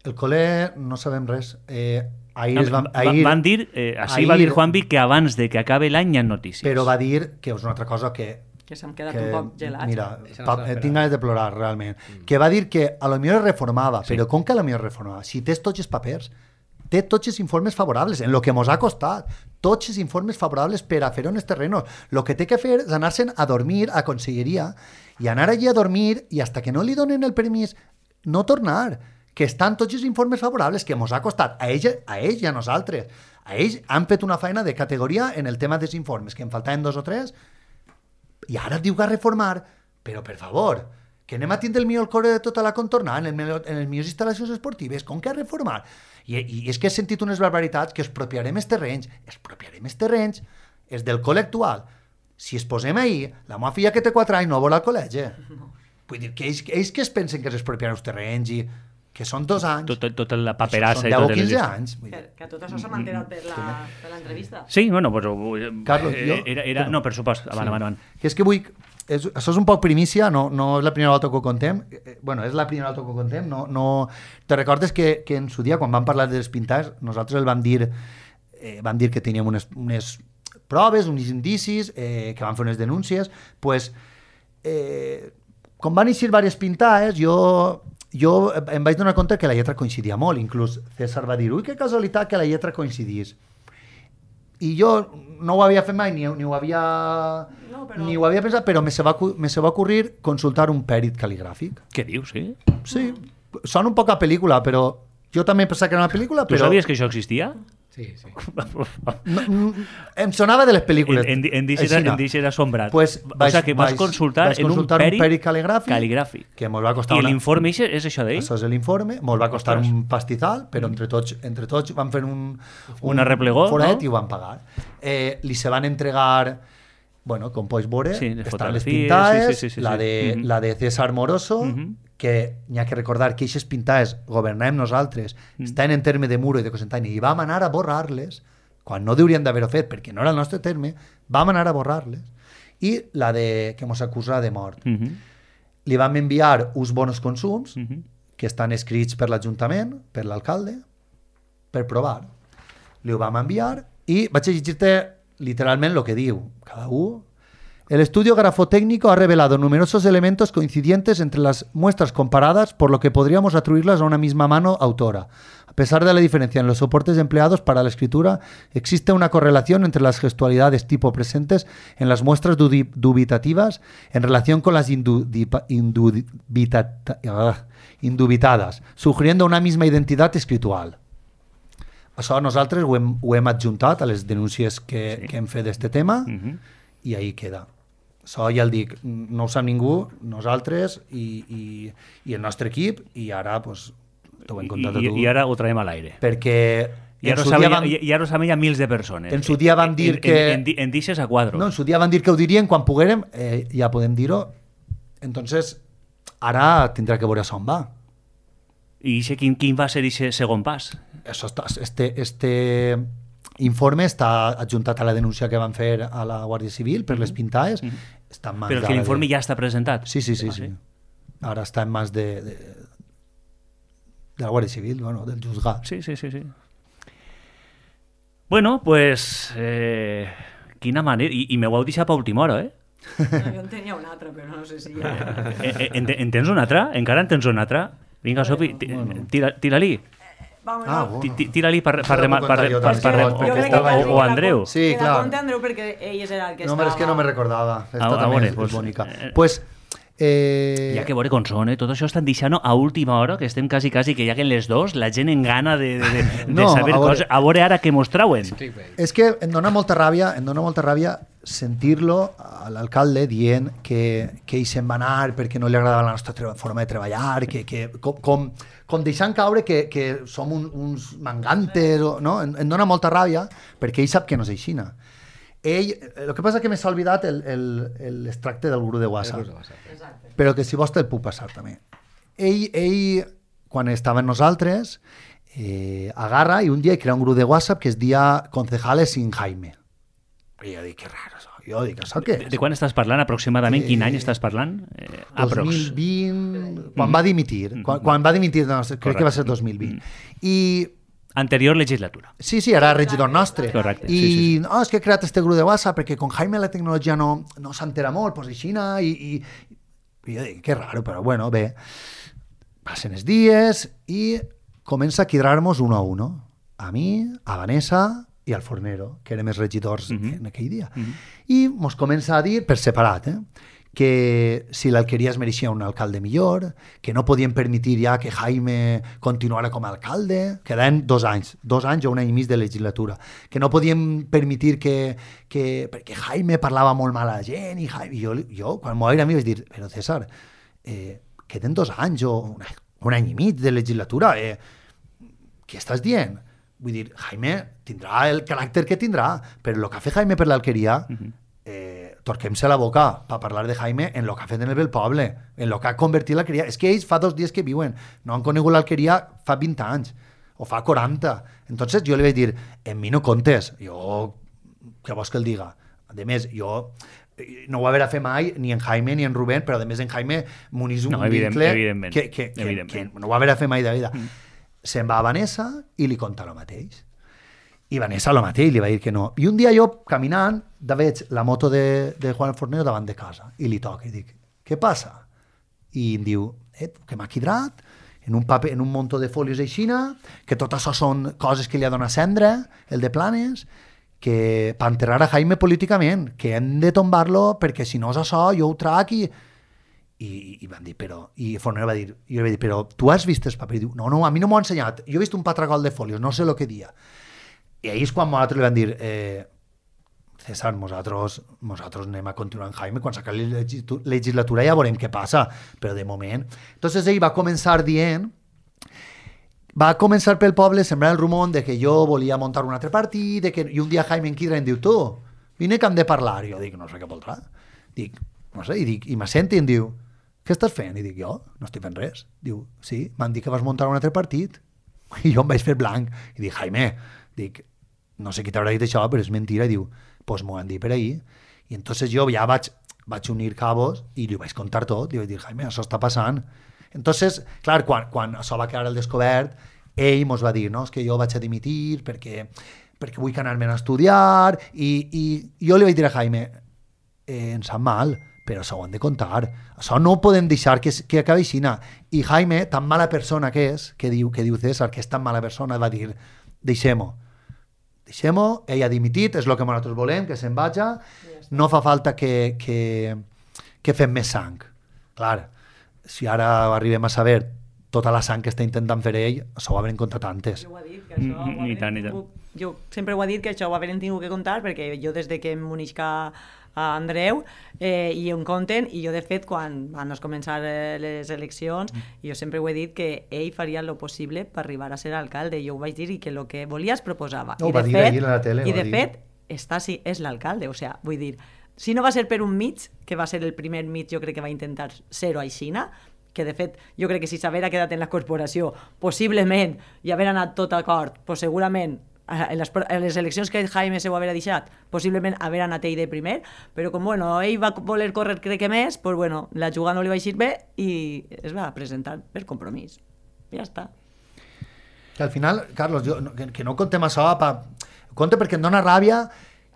El col·le no sabem res. Eh, ahir es van, ahir, van dir, eh, així ahir, va dir Juanvi, que abans de que acabe l'any hi ha notícies. Però va dir que és una altra cosa que... Que s'han quedat que, un poc gelats. Mira, pa, tinc ganes de plorar, realment. Mm. Que va dir que a lo millor es reformava, sí. Però com que a lo millor reformava? Si tens tots els papers, té tots els informes favorables, en lo que mos ha costat, tots els informes favorables per a fer-ho en els terrenos. El que té que fer és anar-se'n a dormir a conselleria i anar allí a dormir i hasta que no li donen el permís no tornar, que estan tots els informes favorables que mos ha costat a ells, a ells i a nosaltres. A ells han fet una feina de categoria en el tema dels informes, que en faltaven dos o tres, i ara diu que a reformar, però per favor, que anem a tindre el millor core de tota la contornada en, el, en les millors instal·lacions esportives, com que a reformar? I, i és que he sentit unes barbaritats que expropiarem els terrenys, expropiarem els terrenys, és del col·le actual. Si es posem ahir, la meva filla que té quatre anys no vol al col·legi. No. Vull dir, que ells, ells que es pensen que s'expropiaran els terrenys i que són dos anys. Tota tot la paperassa. Són deu o quinze anys. Que, que tot això s'ha mantenat per l'entrevista. Sí, bueno, pues, Carlos, jo... Era, era, no, per supost, avant, sí. avant, avant. Que és que vull... És, això és un poc primícia, no, no és la primera volta que ho contem. Bueno, és la primera volta que ho contem. No, no... Te recordes que, que en su dia, quan vam parlar dels pintats, nosaltres el vam dir, eh, vam dir que teníem unes, unes proves, uns indicis, eh, que vam fer unes denúncies. Pues, eh, com van eixir diverses pintades, jo, jo em vaig donar compte que la lletra coincidia molt. Inclús César va dir, ui, que casualitat que la lletra coincidís. I jo no ho havia fet mai, ni, ni ho havia no, però... ni ho havia pensat, però me se, va, me se va ocurrir consultar un pèrit cal·ligràfic. Què dius, sí? Sí, sona un poc a pel·lícula, però jo també pensava que era una pel·lícula, tu però... sabies que això existia? Sí, sí. No, no, em sonava de les pel·lícules. En, en, en dice era assombrat. Pues vaig, o sigui, que vas vaig, consultar, vaig en consultar un pèrit, un pèrit cal·ligràfic, cal·ligràfic. Que mos va costar I una... l'informe és això d'ell? Això és l'informe, mos va costar Ostres. un pastizal, però entre tots, entre tots van fer un, un una replegó, foret no? I ho van pagar. Eh, li se van entregar, bueno, com pots veure, sí, estan les pintades, sí, sí, sí, sí, la, de, sí. Uh -huh. la de César Moroso, uh -huh. que n'hi ha que recordar que aquestes pintades governàvem nosaltres, uh -huh. estan en terme de Muro i de Cocentaina, i vam anar a borrar-les, quan no deurien d'haver-ho fet, perquè no era el nostre terme, vam anar a borrar-les. I la de, que mos acusa de mort. Uh -huh. Li vam enviar uns bonos consums, uh -huh. que estan escrits per l'Ajuntament, per l'alcalde, per provar. Li ho vam enviar i vaig a llegir-te literalment el que diu. Cada un... El estudio grafotécnico ha revelado numerosos elementos coincidentes entre las muestras comparadas, por lo que podríamos atribuirlas a una misma mano autora. A pesar de la diferencia en los soportes empleados para la escritura, existe una correlación entre las gestualidades tipo presentes en las muestras dubitativas en relación con las indubita, indubita, indubitadas, sugiriendo una misma identidad escritual. Això nosaltres ho hem, ho hem adjuntat a les denúncies que, sí. que hem fet d'aquest tema uh-huh. i ahí queda. Això ja el dic, no ho sap ningú, nosaltres i, i, i el nostre equip, i ara pues, t'ho hem contat I, a tu. I ara ho traiem a l'aire. Perquè I ara, saben, van... i ara ho saben ja mils de persones. En su dia van dir en, que... En, en, en deixes a quadros. No, en su dia van dir que ho dirien quan poguérem, eh, ja podem dir-ho. Entonces, ara tindrà que veure on va. I quin, quin va ser aquest segon pas? Eso está, este, este informe està adjuntat a la denúncia que van fer a la Guàrdia Civil per les pintades. Mm-hmm. Està en mans Però que l'informe de... ja està presentat. Sí, sí, sí. Ah, sí. Ara està en mans de, de, de la Guàrdia Civil, bueno, del juzgat. Sí, sí, sí, sí. Bueno, pues... Eh, quina manera... I, i me ho heu deixat per última hora, eh? No, jo en tenia una altra, però no sé si... Ja... en, en, en tens una altra? Encara en tens una altra? Vinga, Sofi, tira-li. Tira ah, bueno. Tira-li per, per, per, per, per, per, o, o Andreu. Sí, clar. La conté Andreu perquè ell era el que no, estava... No, és que no me recordava. Esta ah, també veure, és, pues, és bonica. Eh, pues... Eh... Hi ha que veure com són, eh? Tot això estan deixant a última hora, que estem quasi, quasi que lleguen les dos, la gent en gana de, de, de, no, de saber a veure, coses. A veure ara què mos trauen. És que em dona molta ràbia, em dona molta ràbia sentir-lo a l'alcalde dient que, que ell se'n va anar perquè no li agradava la nostra forma de treballar, que, que, com, com, com deixant caure que, que som un, uns mangantes, no? Em, em dona molta ràbia perquè ell sap que no és aixina. Ell, el que passa és que m'he oblidat l'extracte del guru de WhatsApp, però que si vols te'l puc passar també. Ell, ell quan estava amb nosaltres, eh, agarra i un dia crea un grup de WhatsApp que es dia Concejales sin Jaime. I jo dic, que raro això. Jo dic, això què és? De, de quan estàs parlant aproximadament? Eh, Quin any estàs parlant? Eh, dos mil vint, quan va dimitir. Mm. Quan, quan va dimitir, no, crec Correcte. Que va ser dos mil vint. Mm. I... Anterior legislatura. Sí, sí, era regidor nostre. Correcte. I sí, sí, sí. No, és que he creat este grup de WhatsApp perquè con Jaime la tecnologia no, no s'entera molt, pues aixina, i, i, i jo dic, que raro, però bueno, bé. Passen els dies i comença a quedar-nos uno a uno. A mi, a Vanessa i al Fornero, que érem els regidors mm-hmm. en aquell dia. Mm-hmm. I mos comença a dir, per separat, eh, que si l'Alqueria es mereixia un alcalde millor, que no podien permetir ja que Jaime continuara com a alcalde, quedaven dos anys, dos anys o un any i mig de legislatura, que no podien permetir que, que perquè Jaime parlava molt mal a la gent, i, Jaime, i jo, jo quan m'ho vaig a mi vaig dir, però César, eh, queden dos anys o un, un any i mig de legislatura, eh, què estàs dient? Vull dir, Jaime tindrà el caràcter que tindrà, però el que ha fet Jaime per l'Alqueria, uh-huh. eh, torquem-se la boca per parlar de Jaime en el que ha fet en el poble, en el que ha convertit l'Alqueria. És que ells fa dos dies que viuen, no han conegut l'Alqueria fa vint anys, o fa quaranta. Entonces jo li vaig dir, en mi no comptes, jo, què vols que el diga? A més, jo no ho va haver a fer mai ni en Jaime ni en Rubén, però a més en Jaime m'unís un no, evident, vincle evidentment, que, que, que, evidentment. que no ho va haver a fer mai de vida. Mm. Se'n va a Vanessa i li conta el mateix. I Vanessa el mateix, li va dir que no. I un dia jo, caminant, de veig la moto de, de Juan Fornero davant de casa i li toca i dic, què passa? I em diu, eh, que m'ha quidrat en un paper, en un muntó de folios aixina, que tot això són coses que li ha donat cendra, el de Planes, que per enterrar a Jaime políticament, que hem de tombar-lo perquè si no és això, jo ho trac i... I, i van dir, però... I Fornero va dir, jo li vaig dir, però tu has vist el paper? I diu, no, no, a mi no m'ho ha ensenyat. Jo he vist un patragol de folios, no sé el que dia. I ahir és quan nosaltres li van dir, eh, César, nosaltres, nosaltres anem a continuar en Jaime, quan s'acabi la legislatura ja veurem què passa, però de moment... Entonces ell va començar dient, va començar pel poble sembrar el rumor de que jo volia muntar un altre partit, de que, i un dia Jaime en Quidra em diu, tu, vine que hem de parlar. I jo dic, no sé què voldrà. Dic, no sé, i, dic, i m'assenta i em diu, què estàs fent? I dic, jo no estic fent res. Diu, sí, m'han dit que vas muntar un altre partit. I jo em vaig fer blanc. I dic, Jaime, dic, no sé qui t'haurà dit això, però és mentira. I diu, pues m'ho han dit per ahir. I entonces jo ja vaig, vaig unir cabos i li vaig contar tot. I vaig dir, Jaime, això està passant. Entonces, clar, quan, quan això va quedar al descobert, ell mos va dir, no, és que jo vaig a dimitir perquè, perquè vull anar-me'n a estudiar. I, i jo li vaig dir a Jaime, eh, em sap mal, però això ho han de contar. Això no ho podem deixar que, que acabi així. I Jaime, tan mala persona que és, que diu, que diu César, que és tan mala persona, va dir, deixem-ho. Deixem-ho, ell ha dimitit, és el que nosaltres volem, que se'n vaja, no fa falta que, que, que fem més sang. Clar, si ara arribem a saber tota la sang que està intentant fer ell, això ho haurem contat antes. Jo ho he dit, que això ho I tant, i tant. Jo sempre ho he dit, que això ho haurem tingut que contar, perquè jo des de que em munisca a Andreu, eh, i em compten, i jo de fet quan van començar les eleccions, jo sempre ho he dit que ell faria el possible per arribar a ser alcalde, jo ho vaig dir, i que el que volia es proposava. No, I va de dir fet, ahir a la tele, I va de dir. fet, està, sí, és l'alcalde, o sigui, vull dir, si no va ser per un mig, que va ser el primer mig, jo crec que va intentar ser-ho aixina, que de fet jo crec que si s'haguera quedat en la corporació possiblement i haver anat tot d'acord, pues segurament en les, en les eleccions que Jaime se ho haguera deixat, possiblement haver anat ell de primer, però com bueno, ell va voler córrer crec que més, pues bueno, la jugada no li va eixir bé i es va presentar per compromís. Ja està. Que al final, Carlos, jo, que, que no contem això, pa... compte perquè em dóna ràbia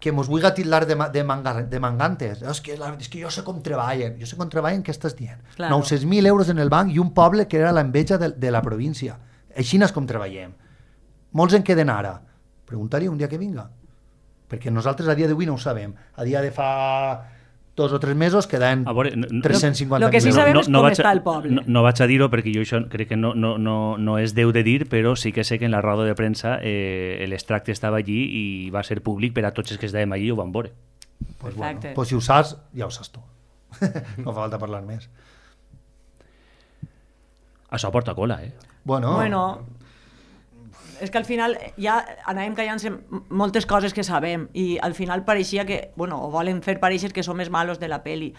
que mos vulgui tildar de, de, manga, de mangantes. És que, la, és que jo sé com treballen. Jo sé com treballen, què estàs dient? Claro. nou-cents mil euros en el banc i un poble que era l'enveja de, de la província. Així és com treballem. Molts en queden ara. Preguntaria un dia que vinga. Perquè nosaltres a dia d'avui no ho sabem. A dia de fa dos o tres mesos quedaven tres-cents cinquanta mil. Lo que sí sabem és com està el poble. No, no vaig a dir-ho perquè jo això crec que no, no, no, no és deu de dir, però sí que sé que en la roda de premsa eh, l'extracte estava allí i va ser públic per a tots els que estàvem allí i ho van veure. Pues bueno, pues si ho saps, ja ho saps tu. No fa falta parlar més. Això porta cola, eh? Bueno... bueno és que al final ja anàvem callant-se moltes coses que sabem i al final pareixia que, bueno, o volen fer pareixer que som els malos de la peli.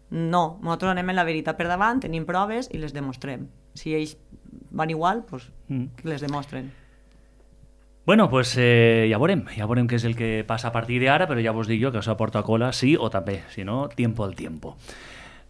No, nosaltres anem en la veritat per davant, tenim proves i les demostrem. Si ells van igual, doncs mm. les demostren. Bueno, pues eh, ja veurem, ja veurem què és el que passa a partir d'ara, però ja vos dic jo que això porta cola sí o també, si no, tiempo al tiempo.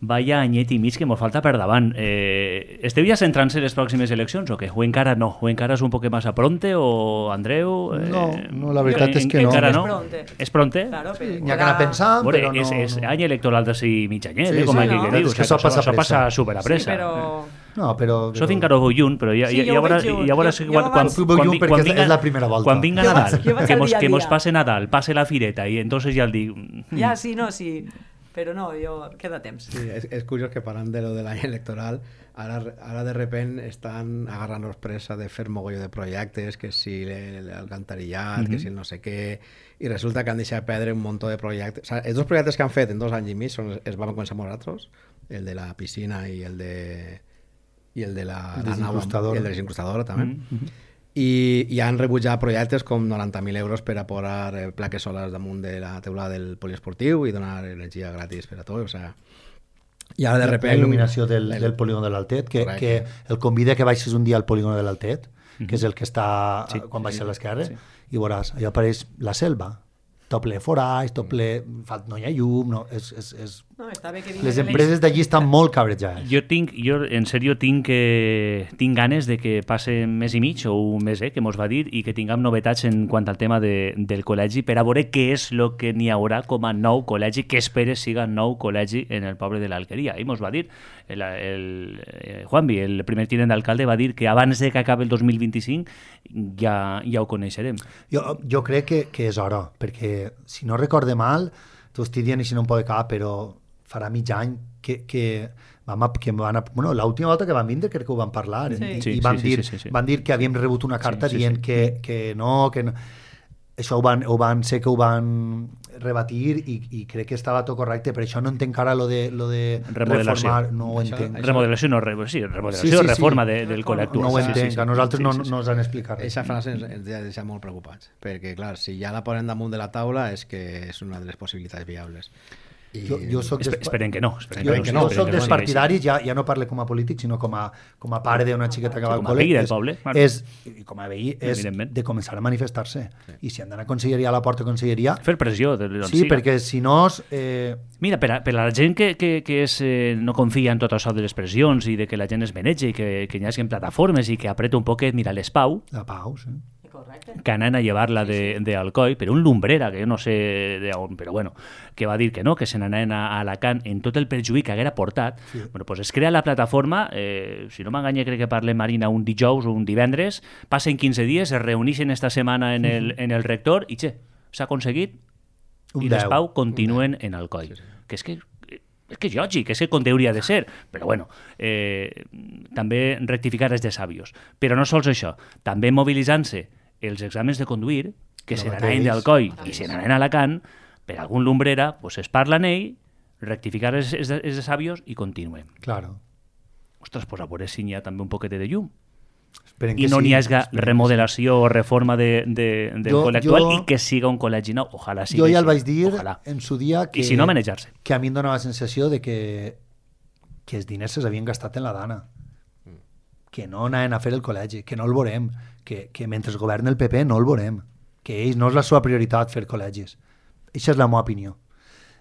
Vaya anyet i mig que mos falta per davant. Eh, esteu ja centrant-se en les pròximes eleccions o què? O encara no? O encara és un poc més a pronte? O Andreu? Eh, no, no, la veritat és que no. Encara no? És pronte. És pronte? Claro, sí, n'hi ha que anar pensant, Veure, però no... És, és any electoral de si mig anyet, sí, eh, com sí, aquí no. que dius. És que això passa això passa super a pressa. Sí, però... No, però... Això fins encara ho veu junt, però ja, sí, ja, ja, veuràs, ja veuràs jo, quan, jo quan, quan, quan, quan, quan, vinga, és la primera volta. Quan vinga Nadal, jo vaig que, al mos, dia a que mos dia. passe Nadal, passe la fireta i entonces ja el dic... Ja, sí, no, sí. Però no, jo... queda temps. Sí, és, és curiós que parlant de lo de l'any electoral, ara, ara de repent estan agarrant-nos pressa de fer mogolló de projectes, que si l'alcantarillat, mm -hmm. que si el no sé què, i resulta que han deixat perdre un munt de projectes. O sea, els dos projectes que han fet en dos anys i mig són, es van començar amb nosaltres, el de la piscina i el de i el de la, el la nau, i el de l'incrustadora també. Mm -hmm. I, i han rebutjat projectes com noranta mil euros per a posar eh, plaques solars damunt de la teulada del poliesportiu i donar energia gratis per a tot, o sea, i ara de repente... La il·luminació del, el... del polígon de l'Altet, que, que el convida que baixes un dia al polígon de l'Altet, mm-hmm. que és el que està sí, quan baixes sí, a l'esquerra, sí. I veuràs, allà apareix la selva, tot ple forats, tot ple... no hi ha llum, no, és... és, és... No, està bé que les empreses d'allí estan molt cabrejades. Jo tinc, jo en sèrio tinc, eh, tinc ganes de que passe un mes i mig o un mes, eh, que mos va dir, i que tinguem novetats en quant al tema de, del col·legi per a veure què és el que n'hi haurà com a nou col·legi, que espere siga nou col·legi en el poble de l'Alqueria. I mos va dir, el, el, el Juanvi, el primer tinent d'alcalde, va dir que abans de que acabi el dos mil vint-i-cinc ja, ja ho coneixerem. Jo, jo crec que, que és hora, perquè si no recorde mal, t'ho estic dient i si no em pot acabar, però farà mig any que, que, vam, que van a, bueno, l'última volta que van vindre crec que ho van parlar sí. i, sí, i van, sí, dir, sí, sí, sí. van dir que havíem rebut una carta sí, sí, dient sí. Que, que no, que no. Això ho van, ho van ser que ho van rebatir i, i crec que estava tot correcte, per això no entenc ara lo de, lo de reformar, no ho això, entenc. Això... Remodelació, no, re, sí, remodelació, sí, sí, reforma sí. de, del col·le actual. No ho entenc, sí, sí, a nosaltres sí, no, sí, sí. no ens han explicat res. Aquesta frase ens, ens ha deixat molt preocupats, perquè clar, si ja la posen damunt de la taula és que és una de les possibilitats viables. I... Jo, jo soc Esper, esperen que no. Esperen jo, que no, no, jo soc dels no, partidaris, ja, ja no parlo com a polític, sinó com a, com a pare d'una xiqueta que va al com a col·le. veí del és, poble. És, I com a veí, és de començar a manifestar-se. Sí. I si han d'anar a conselleria, a la porta de conselleria... Fer pressió. De, sí, siga. Perquè si no... Eh... Mira, per a, per a la gent que, que, que és, eh, no confia en tot això de les pressions i de que la gent es menege i que, que hi hagi plataformes i que apreta un poquet, mira, les Pau... La Pau, sí. Correcte. Que anen a llevar-la de, de Alcoi per un lumbrera, que jo no sé de on, però bueno, que va dir que no, que se n'anaven a, a Alacant en tot el perjuí que haguera portat. Sí. Bueno, pues es crea la plataforma, eh, si no m'enganya crec que parle Marina un dijous o un divendres, passen quinze dies, es reunixen esta setmana en el, en el rector i, xe, s'ha aconseguit un i les Pau continuen en Alcoi. Sí, sí. Que és que és que és lògic, és que com hauria de ser, però bueno, eh, també rectificar és de sàvios. Però no sols això, també mobilitzant-se els exàmens de conduir, que no se n'anaven d'Alcoi i se n'anaven a Alacant, per algun lumbrera, pues es parla en ell, rectificar els, els, els sabios i continuem. Claro. Ostres, pues a veure si n'hi ha també un poquet de llum. Esperen I que no sí, n'hi hagi esperen remodelació o reforma de, de, del Jo- col·le actual jo- i que siga un col·legi nou. Ojalà sigui Jo ja el així. vaig dir Ojalà. en su dia que, I si no, manejar-se. que a mi em donava la sensació de que, que els diners s'havien gastat en la dana, que no anaven a fer el col·legi, que no el veurem, que, que mentre governa el P P no el veurem, que ells no és la seva prioritat fer col·legis. Això és la meva opinió.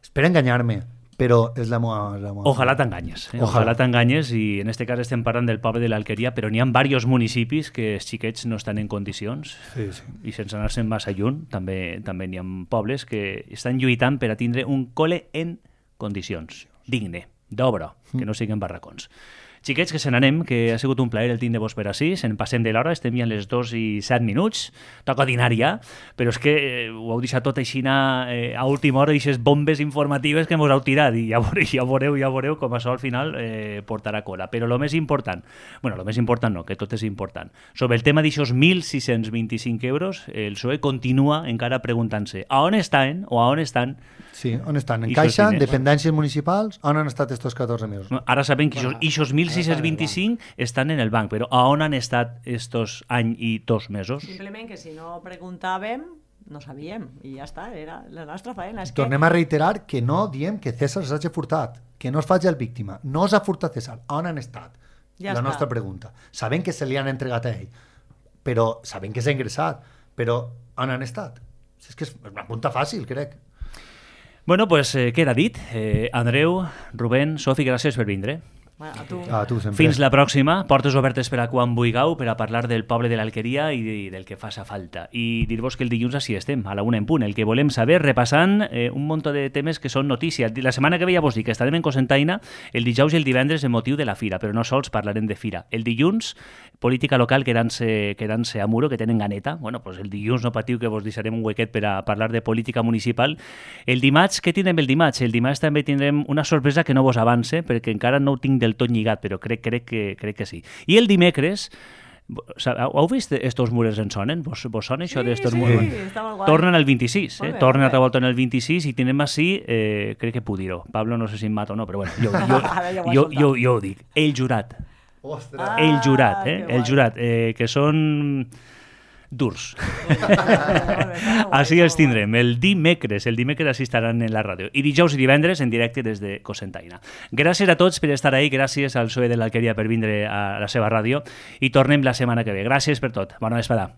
Espero enganyar-me, però és la meva, la meva Ojalà opinió. t'enganyes. Eh? Ojalà. Ojalà t'enganyes i en este cas estem parlant del poble de l'Alqueria, però n'hi ha diversos municipis que els xiquets no estan en condicions Sí, sí. i sense anar-se'n massa lluny també també n'hi ha pobles que estan lluitant per a tindre un col·le en condicions, digne, d'obra, que no siguin barracons. Xiquets, que se n'anem, que ha sigut un plaer el tindre-vos per així, se'n passem de l'hora, estem ja a les dos i set minuts, toca dinar ja, però és que eh, ho heu deixat tot així eh, a última hora, aquestes bombes informatives que mos heu tirat, i ja veureu, ja veureu, ja veureu com això al final eh, portarà cola. Però el més important, bueno, el més important no, que tot és important, sobre el tema d'aixòs mil sis-cents vint-i-cinc euros, el P S O E continua encara preguntant-se a on estan o a on estan. Sí, on estan? En I Caixa, sos en diners. dependències municipals, on han estat estos catorze mesos? Ara sabem que aquests mil sis-cents vint-i-cinc estan en el banc, però a on han estat estos any i dos mesos? Simplement que si no preguntàvem, no sabíem, i ja està, era la nostra feina. És que... Tornem a reiterar que no diem que César s'hagi furtat, que no es faci el víctima. No s'ha furtat César. On han estat? Ja la està. nostra pregunta. Sabem que se li han entregat a ell, però sabem que s'ha ingressat, però on han estat? És que és una punta fàcil, crec. Bueno, pues eh, queda dit. Eh, Andreu, Rubén, Sofi, gràcies per vindre. Bueno, a tu. A tu sempre. Fins la pròxima. Portes obertes per a quan vulgueu per a parlar del poble de l'Alqueria i del que faça falta. I dir-vos que el dilluns així estem, a la una en punt. El que volem saber, repassant eh, un munt de temes que són notícia. La setmana que ve ja vos dic que estarem en Cocentaina el dijous i el divendres en motiu de la fira, però no sols parlarem de fira. El dilluns, política local quedant-se quedant-se a Muro, que tenen ganeta. Bueno, pues el dilluns no patiu que vos deixarem un huequet per a parlar de política municipal. El dimarts, què tindrem el dimarts? El dimarts també tindrem una sorpresa que no vos avance, perquè encara no ho tinc del tot lligat, però crec, crec, que, crec que sí. I el dimecres, heu vist estos mures en sonen? Vos, vos sona això Sí, d'estos sí, mures? està molt guai. Tornen al vint-i-sis, eh? Molt bé, Tornen molt bé. altra volta en el vint-i-sis i tenim així, eh, crec que Pudiro. Pablo no sé si em mata o no, però bueno, jo, jo, Ara ja ho has jo, soltat. jo, jo ho dic. El jurat. Ostres! Ah, El jurat, eh? que El guai. jurat, eh, que són durs. Molt bé, molt bé, Així molt els tindrem el dimecres, el dimecres així estaran en la ràdio. I dijous i divendres en directe des de Cocentaina. Gràcies a tots per estar ahí, gràcies al P S O E de l'Alqueria per vindre a la seva ràdio i tornem la setmana que ve. Gràcies per tot. Bona vesprada.